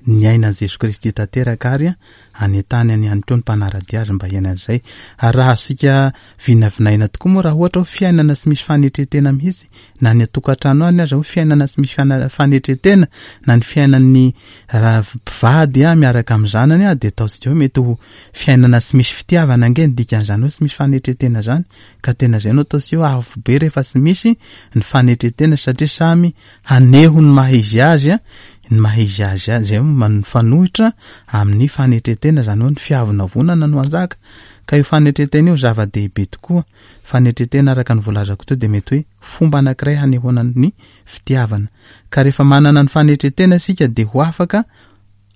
niaina an'i Jesoa Kristy tanteraka ary anentanany ihany koa ny mpanara-dia azy mba hiaina an'izay. Ary raha azontsika vinavinaina tokoa moa raha ohatra hoe fiainana tsy misy fanetren-tena mihitsy, na ny an-tokantrano any aza hoe fiainana tsy misy fiana-, fanetren-tena, na ny fiainan'ny raha mpivady a, miaraka amin'ny zanany a, dia ataontsika hoe mety ho fiainana tsy misy fitiavana ange ny dikan'izany hoe tsy misy fanetren-tena zany. Ka tena izay no ataontsika hoe avo be rehefa tsy misy ny fanetren-tena, satria samy haneho ny maha izy azy a, ny maha izy azy a, izay mifanohitra amin'ny fanetren-tena, zany hoe ny fiavonavonana no anjaka. Ka io fanetren-tena io zava-dehibe tokoa. Fanetren-tena araka ny voalazako teo dia mety hoe fomba anankiray hanehoana ny fitiavana. Ka rehefa manana ny fanetren-tena isika dia ho afaka,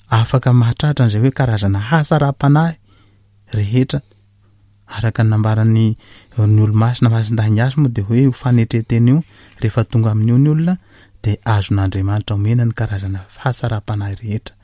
afaka mahatratra an'izay hoe karazana hatsaram-panahy rehetra. Araka ny nambaran'ny ny olo-masina Masindahy moa dia hoe io fanetren-tena io rehefa tonga amin'io ny olona dia azon'Andriamanitra omena ny karazana hatsaram-panahy rehetra.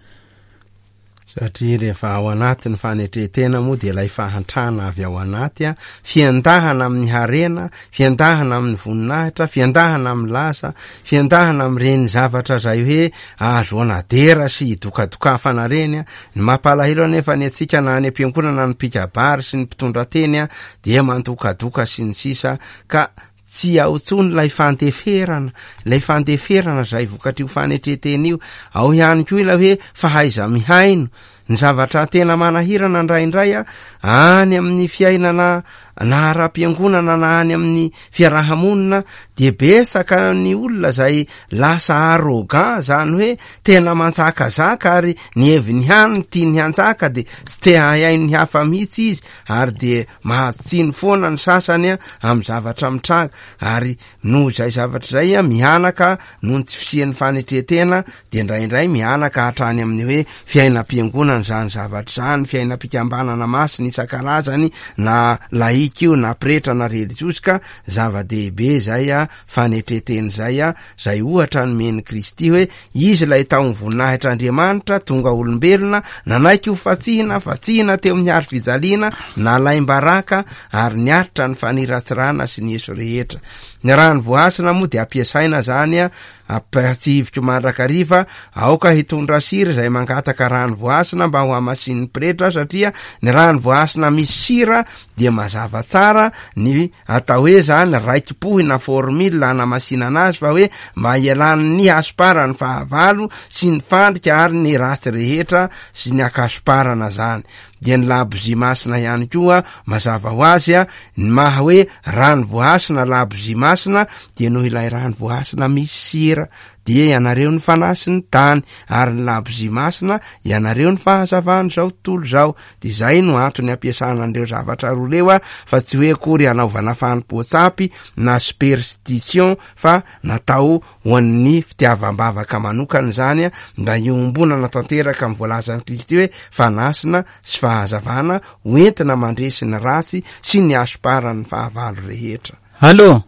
Satria rehefa ao anaty ny fanetren-tena moa dia ilay fahantrana avy ao anaty a, fiandahana amin'ny harena, fiandahana amin'ny voninahitra, fiandahana amin'ny laza, fiandahana amin'ireny zavatra izay hoe ahazoana dera sy dokadokafana ireny a. Ny mampalahelo anefa ny antsika na any am-piangonana ny mpikabary sy ny mpitondra teny a dia mandokadoka sy ny sisa, ka tsy ao intsony ilay fandeferana, ilay fandeferana izay vokatr'io fanetren-tena io. Ao ihany koa ilay hoe fahaiza-mihaino. Ny zavatra tena manahirana indraindray a, any amin'ny fiainana na ara-piangonana na any amin'ny fiarahamonina dia betsaka ny olona izay lasa arrogant, zany hoe tena manjakazaka ary ny heviny ihany no tiany hanjaka, dia tsy te hahaino ny hafa mihitsy izy, ary dia mahazo tsiny foana ny sasany a amin'ny zavatra mitranga. Ary noho izay zavatra izay a, mihanaka noho ny tsy fisian'ny fanetren-tena, dia indraindray mihanaka hatrany amin'ny hoe fiainam-piangonana izany zavatra izany, fiainam-pikambanana masina isan-karazany, na laika io na pretra na religiosy. Ka zava-dehibe izay a fanetren-tena izay a, izay ohatra nomen'i Kristy hoe izy ilay tao amin'ny voninahitr'Andriamanitra, tonga olombelona, nanaiky ho fatsihina, fatsihina teo amin'ny hazo fijaliana, nalaim-baraka ary niaritra ny faniratsirana sy ny eso rehetra. Ny rano voahasina moa dia ampiasaina zany a, ampahatsihiviko mandrakariva, aoka hitondra sira izay mangataka rano voahasina mba ho hamasin'ny pretra, satria ny rano voahasina misy sira dia mazava tsara ny atao hoe zany raiki-pohy na formule hanamasinana azy, fa hoe mba hialan'ny hasomparany fahavalo sy ny fandrika ary ny ratsy rehetra sy ny akasomparana zany. Dia ny labozia masina ihany koa mazava ho azy a, ny maha hoe rano voahasina labozia masina dia noho ilay rano voahasina misy sira, dia ianareo ny fanahy sy ny tany, ary ny labozia masina ianareo ny fahazavan'izao tontolo izao. Dia izay no antony ampiasana an'ireo zavatra roa ireo a, fa tsy hoe akory hanaovana fanompoan-tsampy na superstition, fa natao ho an'ny fitiavam-bavaka manokana izany a, mba hiombonana tanteraka amin'ny voalazan'i Kristy hoe fanasina sy fahazavana hoentina mandresy ny ratsy sy ny hasomparan'ny fahavalo rehetra. Allô?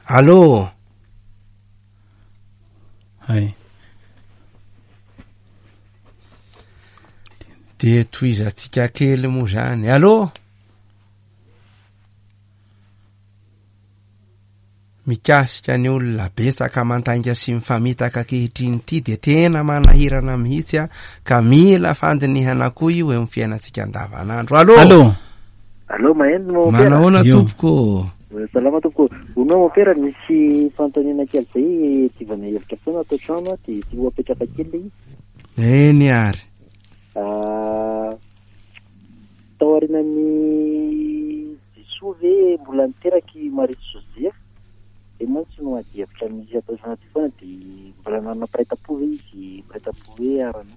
Allô? Hay. Dia tohizantsika kely moa zany. Allô? Mikasika ny olona betsaka mandainga sy mifamitaka ankehitriny ity dia tena manahirana mihitsy a, ka mila fandinihana koa io eo amin'ny fiainantsika andavanandro. Allô? Allô? Allô, maheno mompera? Manahoana Io. tompoko? Salama tompoko. Hono mompera, misy fanontaniana kely zay tivana hevitra foana ato an-trano a, dia ty ho apetraka kely ilay izy. Eny ary. Ah, tao aorianan'ny Jesoa ve mbola niteraka i Maria sy Joseph? Dia mantsy no ady hevitra misy atao anaty foana, dia mbola nanana mpiray tampo ve izy, mpiray tampo hoe arano?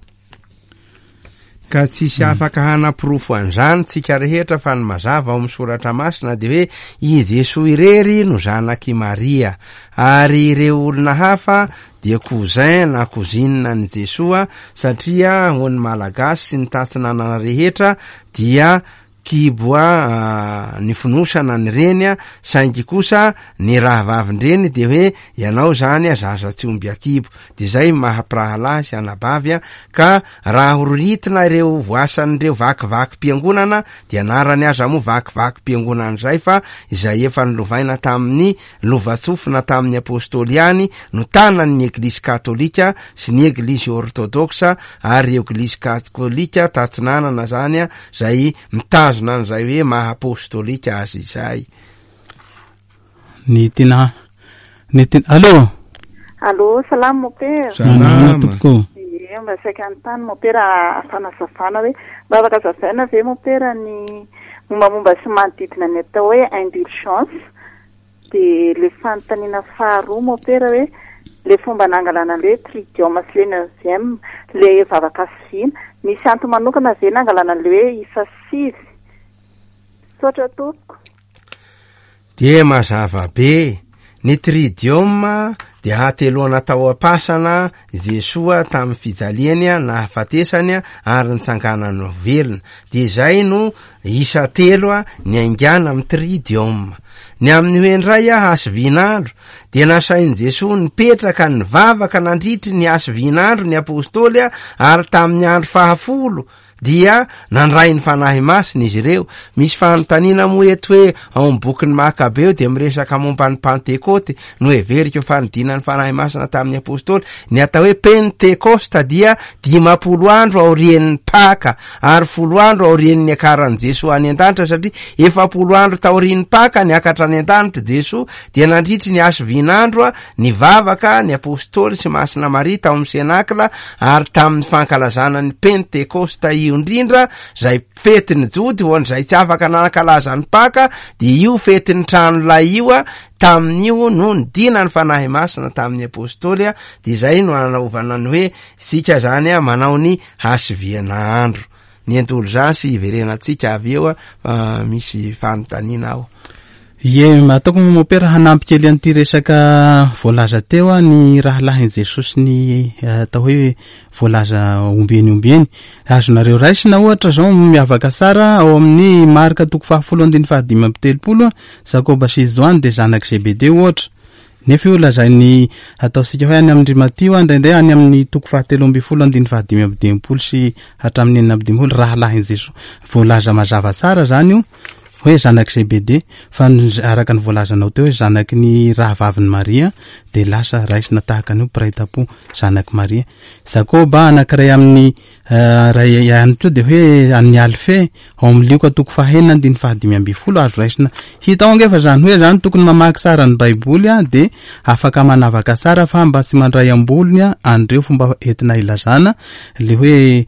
Ka tsisy afaka hanaporofo an'izany tsika rehetra, fa ny mazava ao amin'ny soratra masina dia hoe i Jesoa irery no zanak'i Maria, ary ireo olona hafa dia cousin na cousine an'i Jesoa, satria ho an'ny Malagasy sy ny tatsinanana rehetra dia kibo a, ny fonosana ny reny a, saingy kosa ny rahavavin-dreny dia hoe ianao zany a, zaza tsy omby akibo. Dia zay maha-mpirahalahy sy anabavy a, ka raha hororitina ireo voasan'ireo vakivakim-piangonana dia anarany aza moa vakivakim-piangonana izay, fa izay efa nolovaina tamin'ny lovatsofina tamin'ny apôstôly ihany no tanan'ny Eglizy katôlika sy ny Eglizy ortodoksa ary Eglizy katôlika tatsinanana zany a, zay mitazona an'izay hoe maha apôstôlika azy izay. Ny tena, ny tena, allô? Allô, salama mompera. Salama. Tompoko. Ie, mba saika anontany mompera fanazavana hoe mba afaka azavaina ve mompera ny mombamomba sy manodidina ny atao hoe indulgence? Dia le fanontaniana faharoa mompera hoe le fomba nangalana le tridium sy le neuvième, le vavaka sivina, misy antony manokana ve nangalana le hoe isa sivy? Misaotra tompoko. Dia mazava be, ny tridium dia hateloana tao am-pasana Jesoa tamin'ny fijaliany nahafatesany ary nitsanganany ho velona. Dia izay no isa telo niaingàna amin'ny tridium. Ny amin'ny hoe indray hasivin'andro dia nasain'i Jesoa nipetraka nivavaka nandritry ny hasivin'andro ny apôstôly, ary tamin'ny andro fahafolo dia nandray ny Fanahy Masina izy ireo. Misy fanontaniana moa eto hoe ao amin'ny bokin'ny Makabeo dia miresaka momba ny Pantekoty, no heveriko fa nidinan'ny Fanahy Masina tamin'ny apôstôly. Ny atao hoe Pentekosta dia dimampolo andro aorian'ny Paka ary folo andro aorian'ny niakaran'i Jesoa any an-danitra, satria efapolo andro taorian'ny Paka niakatra any an-danitra Jesoa, dia nandritry ny hasivin'andro nivavaka ny apôstôly sy Masina Maria tao amin'ny Senakla, ary tamin'ny fankalazana ny Pentekosta io indrindra, izay fetin'ny Jody ho an'izay tsy afaka nankalaza ny Paka, dia io fetin'ny tranolay io a, tamin'io no nidina ny Fanahy Masina tamin'ny apôstôly a, dia izay no nanaovana ny hoe isika zany a manao ny hasiviana andro. Ny indulgence hiverenantsika avy eo a, fa misy fanontaniana ao. Ie, ataoko mompera hanampy kely an'ity resaka voalaza teo a, ny rahalahin'i Jesosy sy ny atao hoe voalaza ombieny ombieny. Azonareo raisina ohatra zao miavaka tsara ao amin'ny Marka toko fahafolo andininy fahadimy amby telopolo a, Jakoba sy Joany dia zanak'i Zebedeo ohatra. Nefa io lazainy ataontsika hoe any amin'ny Matio a, indraindray any amin'ny toko fahatelo amby folo andininy fahadimy amby dimampolo sy hatramin'ny enina amby dimampolo rahalahin'i Jesosy. Voalaza mazava tsara zany io. Hoe zanak'i Zebede, fa araka ny voalazanao teo hoe zanaky ny rahavavin'i Maria, dia lasa raisina tahaka an'io mpiray tampo zanak'i Maria. Jakoba anankiray amin'ny ray ihany koa dia hoe an'ny Alfe, ao amin'ny Lioka toko fahenina andininy fahadimy ambin'ny folo azo raisina. Hita ao angefa izany hoe zany tokony mamaky tsara ny Baiboly a, dia afaka manavaka tsara fa mba tsy mandray ambolony a an'ireo fomba entina ilazana le hoe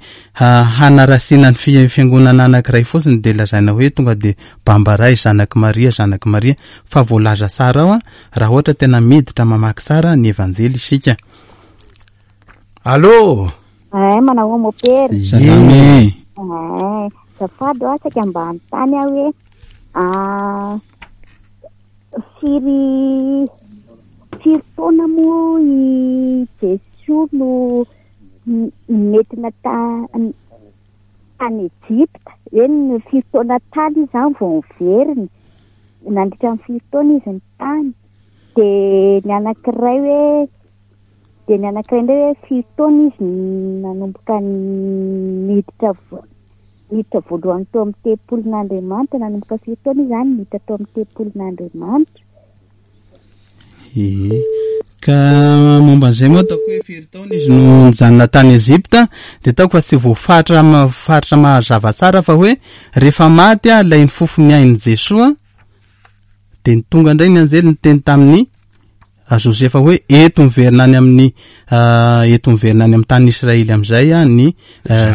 hanarasiana ny fiangonana anankiray fotsiny dia lazaina hoe tonga dia bambaray zanak'i Maria, zanak'i Maria, fa voalaza tsara ao a raha ohatra tena miditra mamaky tsara ny Evanjely isika. Allô? Ay, manao mopera. Salama e. Ay, azafady aho saika mba hanontany aho hoe ah, firy firy taona moa i Jesoa no nentina ta- tany Ejipta? Eny, firy taona tany izy izany vao niverina. Nandritra ny firy taona izy ny tany. Dia ny anankiray hoe dia ny anankiray indray hoe firy taona izy nanomboka niditra niditra voalohany tao amin'ny tempolin'Andriamanitra, nanomboka firy taona izy izany niditra tao amin'ny tempolin'Andriamanitra. Ee, ka momba an'izay moa ataoko hoe firy taona izy no nijanona tany Ejipta, dia ataoko fa tsy voafaritra faritra mazava tsara fa hoe rehefa maty a ilay nifofo ny ain'i Jesoa, dia ny tonga indray ny anjely niteny tamin'ny Josefa hoe eto miverina any amin'ny eto miverina any amin'ny tany Israely amin'izay a ny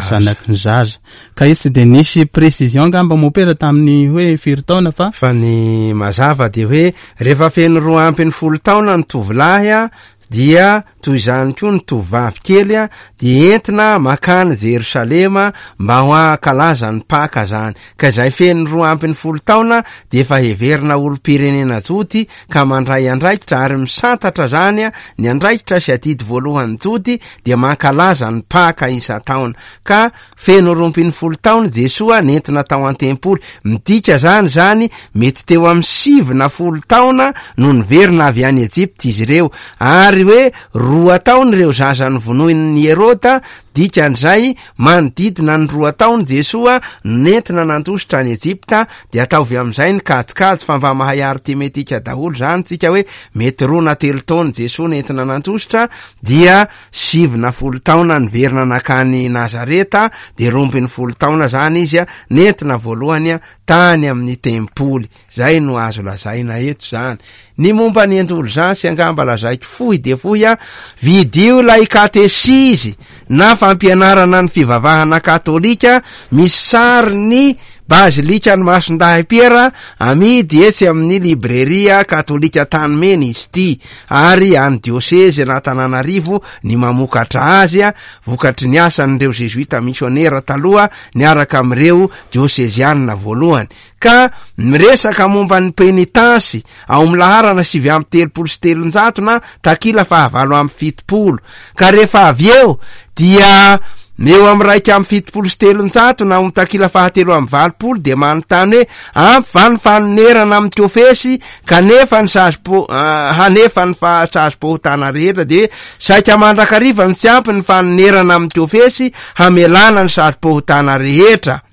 zanaky ny zaza. Ka izy tsy dia nisy précision angamba mopera tamin'ny hoe firy taona fa fa ny mazava dia hoe rehefa feno roa ampy ny folo taona ny tovolahy a dia toy izany koa ny tovovavy kely a dia entina makany Jerosalema mba ho ankalaza ny Paka zany. Ka izay feno roa ampy ny folo taona dia efa heverina olom-pirenena jody ka mandray andraikitra ary misantatra zany a ny andraikitra sy adidy voalohany jody dia mankalaza ny Paka isan-taona. Ka feno roa ambin'ny folo taona Jesoa nentina tao an-tempoly. Midika zany zany mety teo amin'ny sivy na folo taona no niverina avy any Ejipta izy ireo, ary hoe roa taona ireo zaza novonoin'ny Heroda, dikan'izay manodidina ny roa taona Jesoa nentina nandositra any Ejipta. Dia ataovy amin'izay ny kajikajy fa mba mahay arithmetika daholo zany tsika hoe mety roa na telo taona Jesoa nentina nandositra, dia sivy na folo taona niverina nakany Nazareta, dia roa ambin'ny folo taona zany izy a nentina voalohany a tany amin'ny tempoly. Zay no azo lazaina eto zany. Ny momba ny endolzansy angamba lazaiko fohy dia fohy a, vidio ilay katesizy na fampianarana ny fivavahana katolika misy sary ny bazilika ny Masindahy Piera amidy etsy amin'ny libreria katolika Tanimena izy ity, ary any diosezy an'Antananarivo ny mamokatra azy a, vokatry ny asan'ireo jesuita misionera taloha niaraka amin'ireo diosezianina voalohany. Ka miresaka momba ny penitansy ao amin'ny laharana sivy amby telopolo sy telonjato na takila fahavalo amby fitopolo. Ka rehefa avy eo dia eo amin'ny raika amby fitopolo sy telonjato na amin'ny takila fahatelo amby valopolo dia manontany hoe ampy va ny fanonerana amin'ny kofesy kanefa ny sazy-po-, hanefa ny fa-, sazy-pahotana rehetra. Dia saika mandrakariva ny tsy ampy ny fanonerana amin'ny kofesy hamelana ny sazy-pahotana rehetra.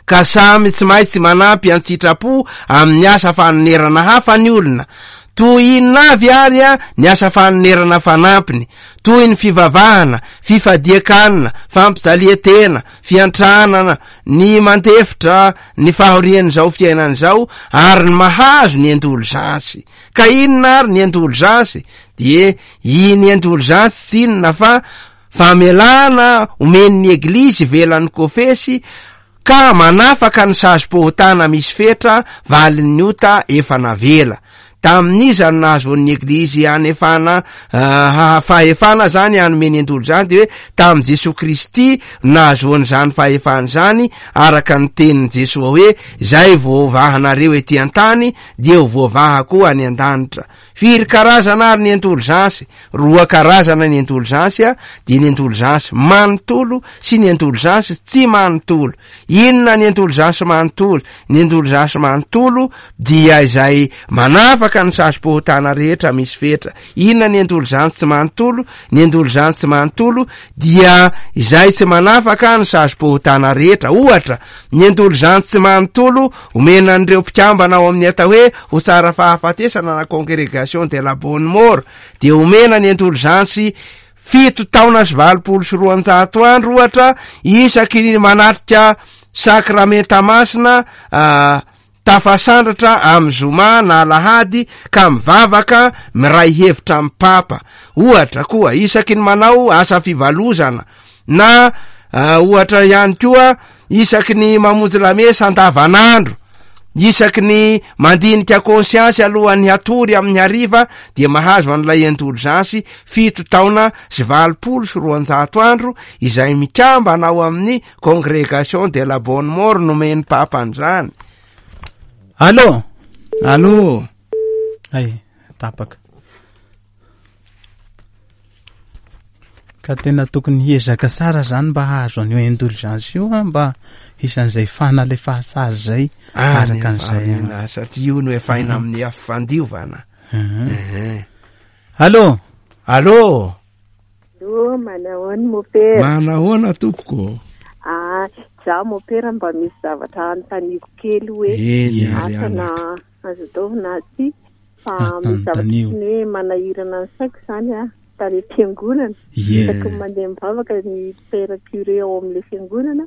Ka samy tsy maintsy manampy an-tsitrapo amin'ny asa fanonerana hafa ny olona. Toy inona avy ary a ny asa fanonerana fanampiny, toy ny fivavahana, fifadian-kanina, fampijalian-tena, fiantranana, ny mandefitra ny fahorian'izao fiainana izao, ary ny mahazo ny endolzansy. Ka inona ary ny endolzansy? Dia iny endolzansy tsy inona fa famelana omen'ny Eglizy ivelan'ny kofesy ka manafaka ny sazy-pahotana misy fetra valin'ny ota efa navela. Tamin'iza no nahazoan'ny Eglizy hanefana, ah, fahefana zany hanome ny endolzansy? Dia hoe tamin'i Jesoa Kristy no nahazoany zany fahefana zany, araka ny tenin'i Jesoa hoe zay voavahanareo ety an-tany dia ho voavaha koa any an-danitra. Firy karazana ary ny endolzansy? Roa karazana ny endolzansy a, dia ny endolzansy manontolo sy ny endolzansy tsy manontolo. Inona ny endolzansy manontolo? Ny endolzansy manontolo dia izay manafaka manafaka ny sazim-pahotana rehetra misy fetra. Inona ny indulgence tsy manontolo? Ny indulgence tsy manontolo dia izay tsy manafaka ny sazim-pahotana rehetra. Ohatra, ny indulgence tsy manontolo omena an'ireo mpikambana ao amin'ny atao hoe ho tsara fahafatesana na congrégation de la bonne mort, dia omena ny indulgence fito taona sy valopolo sy roanjato andro ohatra isaky ny manatrika sakramenta masina tafasandratra amin'ny zoma na alahady ka mivavaka miray hevitra amin'ny papa. Ohatra koa isaky ny manao asa fivalozana na ohatra ihany koa isaky ny mamonjy lamesa andavanandro, isaky ny mandinika conscience alohan'ny hatory amin'ny hariva dia mahazo an'ilay indulgence fito taona sy valopolo sy roanjato andro izay mikambana ao amin'ny congrégation de la bonne mort nomen'ny papa an'izany. Allô? Allô? Ay, tapaka. Ka tena tokony hiezaka tsara zany mba hahazo an'io indulgence io, mba isan'izay fanalefasazy zay araka an'izay. Satria io no efaina amin'ny afandiovana. Allô? Allô? Allô, manahoana mopera? Manahoana tompoko? Ah, za mopera mba misy zavatra anontaniako kely hoe asa na azo atao na tsy, fa misy zavatra ny hoe manahirana ny saiko zany a tany am-piangonana. Isaky ny mandeha mivavaka ny père curé ao amin'ilay fiangonana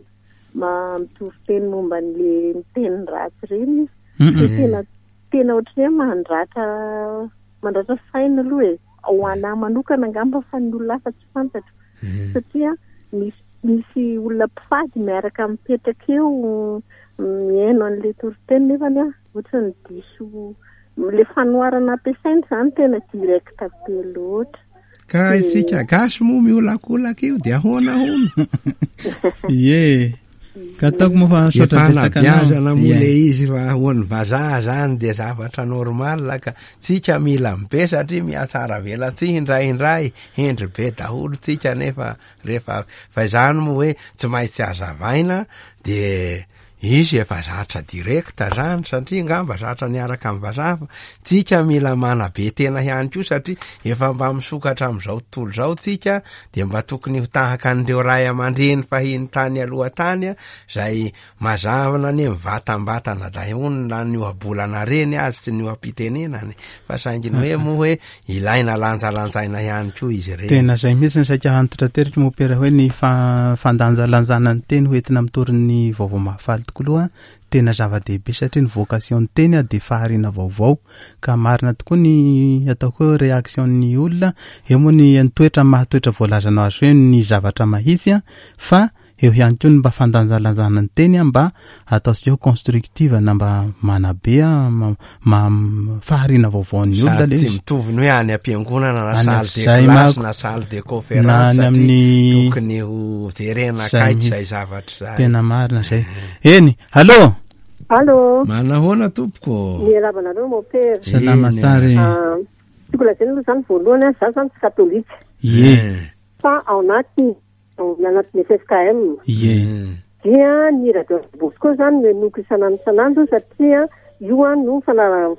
ma mitovy teny momba an'ilay miteny ratsy ireny izy. Dia tena tena ohatran'ny hoe mandratra mandratra saina aloha e. Ho anahy manokana angamba fa ny olona hafa tsy fantatro. Satria misy misy olona mpifady miaraka mipetraka eo mihaino an'ilay toriteny nefany a ohatran'ny diso le fanoharana ampiasaina izany tena direct be loatra. Ka isika gasy moa miolakolaka io dia ahoana hono? Ie. Ka ataoko moa fa misaotra betsaka anao. Fanabeazana moa le izy fa hoan'ny vazaha zany dia zavatra normal ka tsika mila mibe satria mihatsara velatsihy indraindray, hendry be daholo tsika nefa rehefa fa izany moa hoe tsy maintsy azavaina dia izy efa zatra direct zany satria ngamba zatra niaraka amin'ny vazaha fa tsika mila manabe tena ihany koa satria efa mba misokatra amin'izao tontolo izao tsika dia mba tokony ho tahaka an'ireo ray aman-dreny fahiny tany aloha tany zay mazavana anie mivatambatana daholo na ny ohabolana reny azy sy ny oham-pitenenany fa saingy ny hoe moa hoe ilaina lanjalanjaina ihany koa izy ireny. Tena zay mihitsy ny saika hantitraterika mopera hoe ny fandanjalanjana ny teny hoentina mitory ny vaovao mahafaly tokoa aloha tena zava-dehibe satria ny vocation ny teny dia fahariana vaovao ka marina tokoa ny ataoko hoe réaction ny olona eo moa ny toetra mahatoetra voalazanao azy hoe ny zavatra mahitsy fa eo ihany koa ny mba fandanjalanjana ny teny mba ataontsika hoe constructive na mba manabe ma fahariana vaovao ny olona le tsy mitovy ny hoe any am-piangonana na salle de classe na salle de conférence na amin'ny tokony ho jerena akaiky izay zavatra izay. Tena marina zay. Eny, allô? Allô? Manahoana tompoko? Miarahaba anareo mopera. Salama tsara. Tiako lazaina aloha zany voalohany, za zany tsy katolika. Ie. Fa ao anaty anatin'ny F F K M. Ie. Dia ny radio Bosco zany no henoiko isan'andro isan'andro satria io a no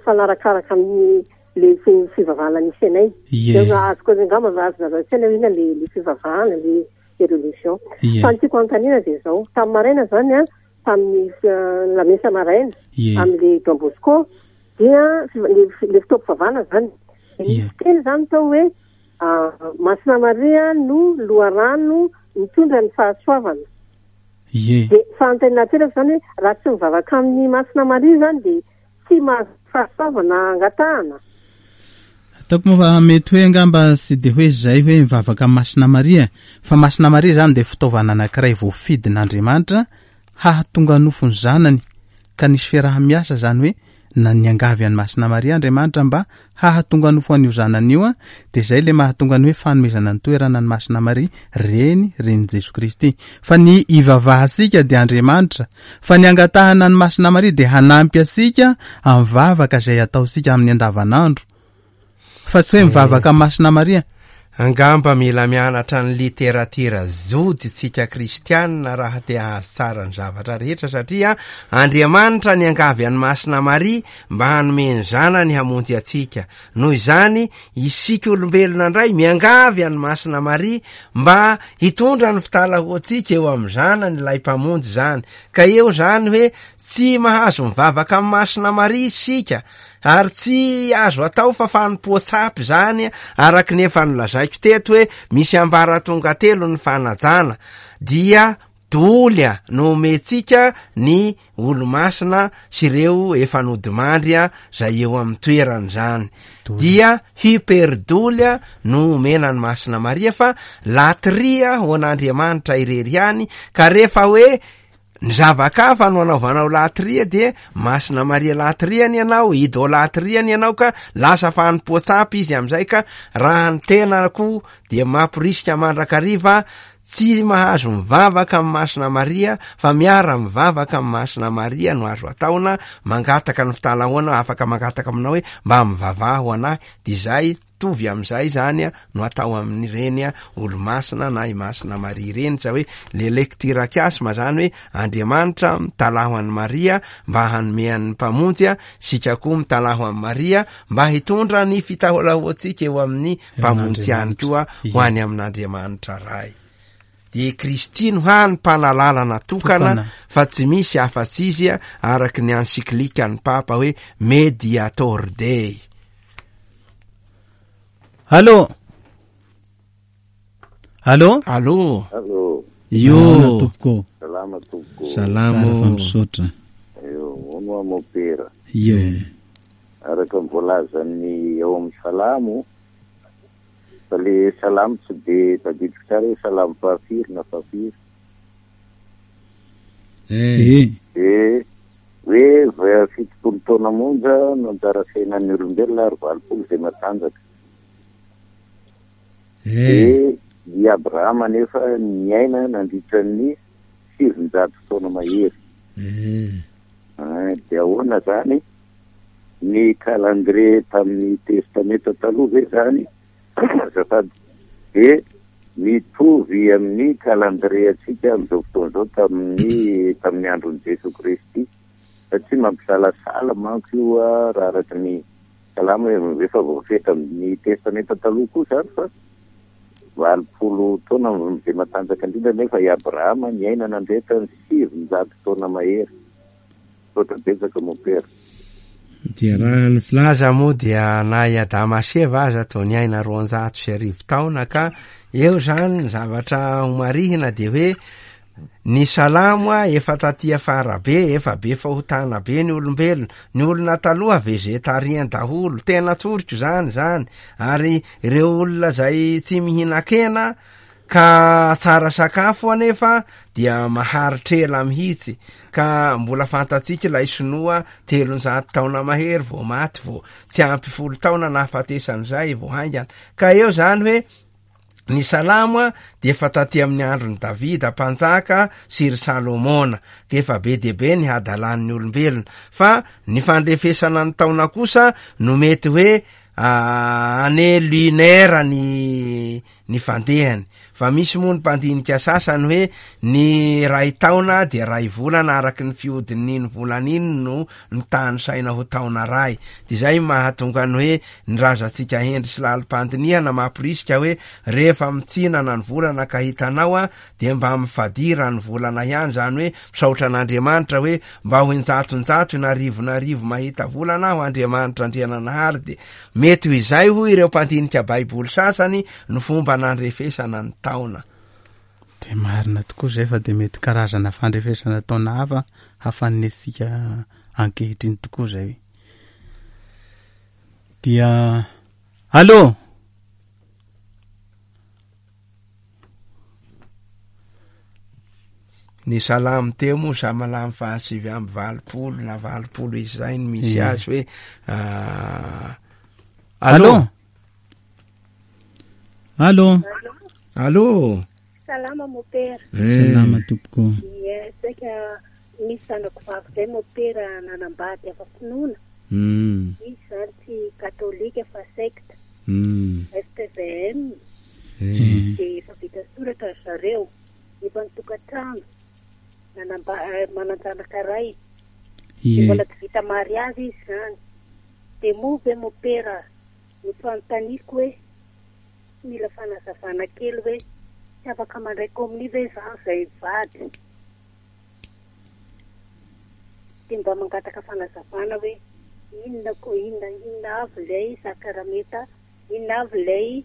fanarakaraka amin'ny le fivavahana nisy anay. Ie. Dia azoko angamba azonareo an-tsaina hoe inona le le fivavahana le le religion. Fa ny tiako anontaniana dia izao, tamin'ny maraina zany a, tamin'ny lamesa maraina amin'le Don Bosco dia le le fotoam-pivavahana zany. Nisy teny zany tao hoe Masina Maria no loharano mitondra ny fahasoavana. Ie. Dia fanontaniana ateraka zany hoe raha tsy mivavaka amin'ny Masina Maria zany dia tsy mahazo fahasoavana angatahana. Ataoko moa fa mety hoe angamba tsy dia hoe zay hoe mivavaka amin'ny Masina Maria, fa Masina Maria zany dia fitaovana anankiray voafidin'Andriamanitra hahatonga nofo ny zanany ka nisy fiaraha-miasa zany hoe na niangavy an'i Masina Maria Andriamanitra mba hahatonga nofo an'io zanany io, dia zay le mahatonga ny hoe fanomezana ny toerana an'i Masina Maria reny renin'i Jesoa Kristy. Fa ny ivavahantsika dia Andriamanitra, fa ny angatahana an'i Masina Maria dia hanampy antsika amin'ny vavaka izay ataontsika amin'ny andavanandro. Fa tsy hoe mivavaka amin'ny Masina Maria. Angamba mila mianatra ny literatira jody tsika kristianina raha te hahazo tsara ny zavatra rehetra, satria Andriamanitra niangavy an'i Masina Maria mba hanome ny zanany hamonjy antsika. Noho izany isika olombelona indray miangavy an'i Masina Maria mba hitondra ny fitalahoantsika eo amin'ny zanany ilay mpamonjy zany. Ka eo zany hoe tsy mahazo mivavaka amin'i Masina Maria isika, ary tsy azo atao fa fanompoan-tsampy zany, araka ny efa nolazaiko teto hoe misy ambaratonga telo ny fanajana, dia doly no omentsika ny olomasina sy ireo efa nodimandry zay eo amin'ny toerany zany. Dia hyperdoly no omena ny Masina Maria, fa latria ho an'Andriamanitra irery ihany. Ka rehefa hoe ny zavakafa no anaovanao latria, dia Masina Maria latriany ianao, idolatriany ianao, ka lasa fanompoan-tsampy izy amizay. Ka raha ny tena koa dia mamporisika mandrakariva tsy mahazo mivavaka amin'ny Masina Maria, fa miara mivavaka amin'ny Masina Maria no azo ataona, mangataka ny fitalahoana, afaka mangataka aminao hoe mba mivavaha ho anahy, dia izay tovy amizay zany no atao amin'ireny olomasina na i Masina Maria ireny. Sa hoe le lecture chiasme zany hoe Andriamanitra mitalaho an'i Maria mba hanome an'ny mpamonjy, sika koa mitalaho amin'i Maria mba hitondra ny fitalahoantsika eo amin'ny mpamonjy ihany koa ho any amin'Andriamanitra Ray. Dia Kristy no hany mpanalalana tokana, fa tsy misy afa-tsy izy, araka ny encyclique-n'ny Papa hoe Mediator Dei. Allô? Allô? Allô? Allô? Io. Tompoko. Salama tompoko. Salama. Tsara fa misaotra. Io, hono mopera. Io. Araka ny voalazan'ny ao amin'ny Salamo, fa le Salamo tsy de tadidiko tsara hoe Salamo fahafiry na fahafiry. Eh. Eh, hoe fitopolo taona monja no anjara fiainan'ny olombelona ary valopolo izay matanjaka. Eh. I Abrahama nefa niaina nandritra ny sivinjato taona mahery. Eh. Dia ahoana zany ny calendrier tamin'ny testamenta taloha ve zany azafady dia mitovy amin'ny calendrier antsika amin'izao fotoana izao tamin'ny tamin'ny andron'i Jesoa Kristy, satria mampisalasala manko io raha araka ny salamo efa voafetra amin'ny testamenta taloha koa zany fa valopolo taona izay matanjaka indrindra nefa i Abrahama niaina nandritra ny sivinjato taona mahery. Misaotra betsaka mopera. Dia raha ny filaza moa dia na i Adama sy Eva aza toa niaina roanjato sy arivo taona, ka eo zany ny zavatra homarihina dia hoe ny salamo a efa taty afara be, efa be fahotana be ny olombelona, ny olona taloha vegetarien daholo, tena tsoriko zany zany, ary ireo olona zay tsy mihinan-kena ka tsara sakafo anefa dia maharitra ela mihitsy, ka mbola fantatsika ilay sinoa telonjato taona mahery vao maty, vao tsy ampy folo taona nahafatesan'izay vao haingana. Ka eo zany hoe ny salamo a dia efa taty amin'ny andron'i Davida mpanjaka sy ry Salomona, ka efa be dia be ny hadalan'ny olombelona, fa ny fandrefesana ny taona kosa no mety hoe année lunaire ny ny fandehany. Fa misy moa ny mpandinika sasany hoe ny ray taona dia ray volana araky ny fihodin'iny volana iny no mitany saina ho taona ray. Dia izay mahatonga ny hoe ny razantsika hendry sy lalim-pandinihana mamporisika hoe rehefa mitsinana ny volana ka hitanao a dia mba mifadira ny volana ihany, zany hoe misaotra an'Andriamanitra hoe mba ho injatonjato na arivo na arivo mahita volana aho Andriamanitra Andriananahary. Dia mety ho izay hoy ireo mpandinika Baiboly sasany no fomba nandrefesana ny taona. Dia marina tokoa izay, fa dia mety karazana fandrefesana taona hafa hafanesika ankehitriny tokoa izay. Dia allô? Ny salamo teo moa samalamo fahasivy amby valopolo na valopolo izay ny misy azy hoe allô? Allô? Allô? Salama mopera. Salama tompoko. Ie, saika misy zanako vavy zay mopera nanambady afa finoana. Mm. Izy zany tsy katolika fa sekta. Mm. F P V M. manan-janaka ray. Dia mbola tsy vita mariazy izy zany. Dia moa ve mopera no fanontaniako hoe mila fanazavana kely hoe tsy afaka mandray komonia ve zany zay vady? Dia mba mangataka fanazavana hoe inona ko inona inona avy ilay sakramenta, inona avy ilay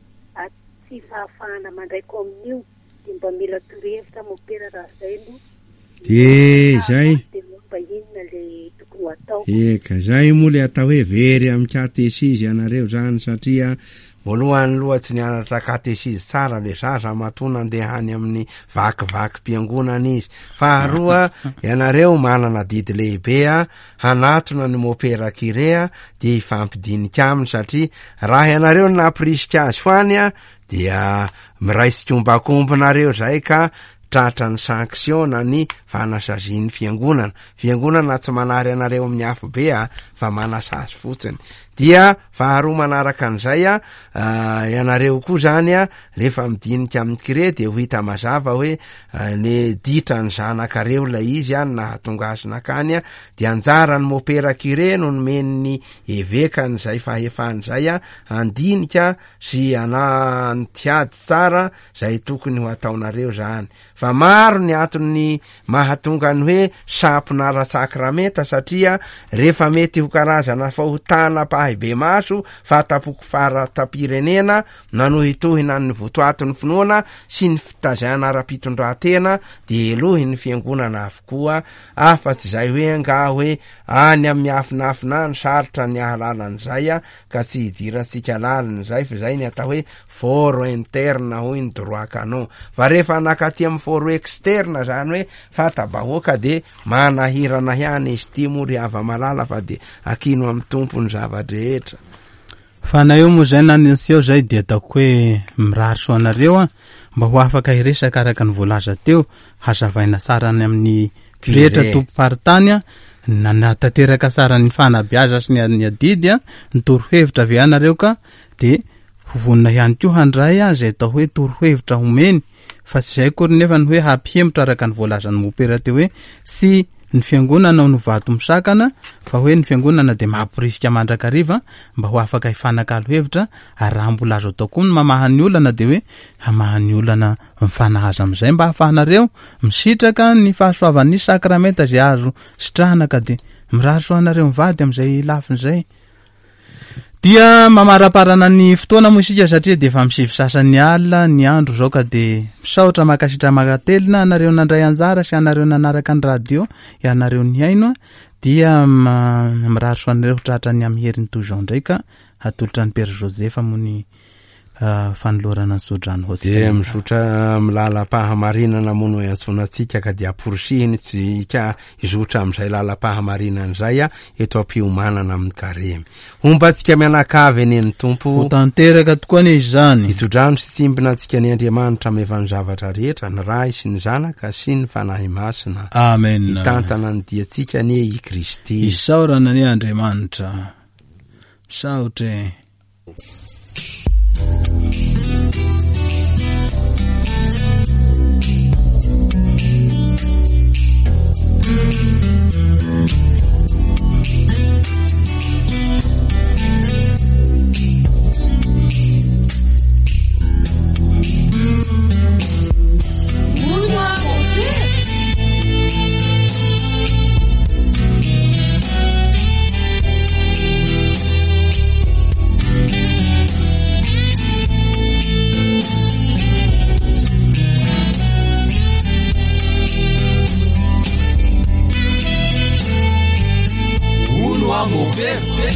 tsy fahafahana mandray komonio. Dia mba mila torohevitra mopera raha zay no. Dia zay. Dia mba inona le tokony ho atao? Eka, zay moa le atao hoe very amin'ny katesizy ianareo zany, satria voalohany loha tsy nianatra katesizy tsara le zaza matoa nandeha any amin'ny vakivakim-piangonana izy. Faharoa, ianareo manana didy lehibe a hanatona ny mopera kirea dia hifampidinika aminy, satria raha ianareo no nampirisika azy ho any a dia miray tsikombakombonareo zay ka tratra ny sanction na ny fanasazian'ny fiangonana. Fiangonana tsy manary anareo amin'ny afo be a, fa manasazy fotsiny. Dia faharoa manaraka an'izay a, ianareo koa zany a, rehefa midinika amin'ny kire dia ho hita mazava hoe ny ditra ny zanakareo ilay izy a, nahatonga azy nakany a, dia anjaran'ny mopera kire no nomen'ny evekany izay fahefany izay a, handinika sy anantiady tsara izay tokony ho ataonareo zany. Fa maro ny antony mahatonga ny hoe sampona ara-sakramenta, satria rehefa mety ho karazana fahotana mpahibemaso fatapoko fara-tapirenena nanohitohina ny votoatin'ny finoana sy ny fitazana ara-pitondran-tena dia elohin'ny fiangonana avokoa, afa-tsy izay hoe angaha hoe any amin'ny afinafina any sarotra ny ahalalan'izay a, ka tsy hidirantsika lalina izay, fa izay ny atao hoe foro interne hoy ny droit canon. Fa rehefa nakaty amin'ny foro externe zany hoe fata-bahoaka dia manahirana ihany izy ity moa ry hava-malala, fa dia akino amin'ny Tompo ny zava-drehetra. Fa na eo moa zay na ny seho zay dia ataoko hoe mirary soa anareo a, mba ho afaka hiresaka araka ny voalaza teo, hazavaina tsara any amin'ny pretra tompom-paritany a, nanatanteraka tsara ny fanabeazana sy ny adidy a, ny torohevitra avy anareo ka dia ho vonona ihany koa handray a izay atao hoe torohevitra homeny, fa tsy izay akory nefa ny hoe hampihemotra araka ny voalazan'ny mopera teo hoe tsy ny fiangonana no vato misakana, fa hoe ny fiangonana dia mamporisika mandrakariva mba ho afaka hifanakalo hevitra, ary raha mbola azo atao koa ny mamaha ny olana dia hoe hamaha ny olana mifanahaza amin'izay mba hahafahanareo misitraka ny fahasoavan'ny sakramenta izay azo sitrahana, ka dia mirary soa anareo mivady amin'izay lafiny izay. Dia mamaraparana ny fotoana moa isika satria dia efa misivy sasany alina ny andro izao, ka dia misaotra mankasitra mankatelina anareo nandray anjara sy anareo nanaraka ny radio, ianareo nihaino, dia mirary soa anareo tratra ny amin'ny herin'ny toy izao indray, ka hatolotra ny Père Joseph moa ny fanolorana ny sodrano ho antsika. Dia mizotra amin'ny lalam-pahamarinana moa no iantsoana antsika, ka dia amporisihiny tsika hizotra amin'izay lalam-pahamarinana izay a, eto am-piomanana amin'ny karemy. Homba antsika mianakavy anie ny Tompo. Ho tanteraka tokoa anie izany. Hitsodrano sy tsimbina antsika ny Andriamanitra mahefa ny zavatra rehetra, ny Ray sy ny Zanaka sy ny Fanahy Masina. Amen. Hitantana ny diantsika anie i Kristy. Isaorana anie Andriamanitra. Misaotra e. Uno a mover.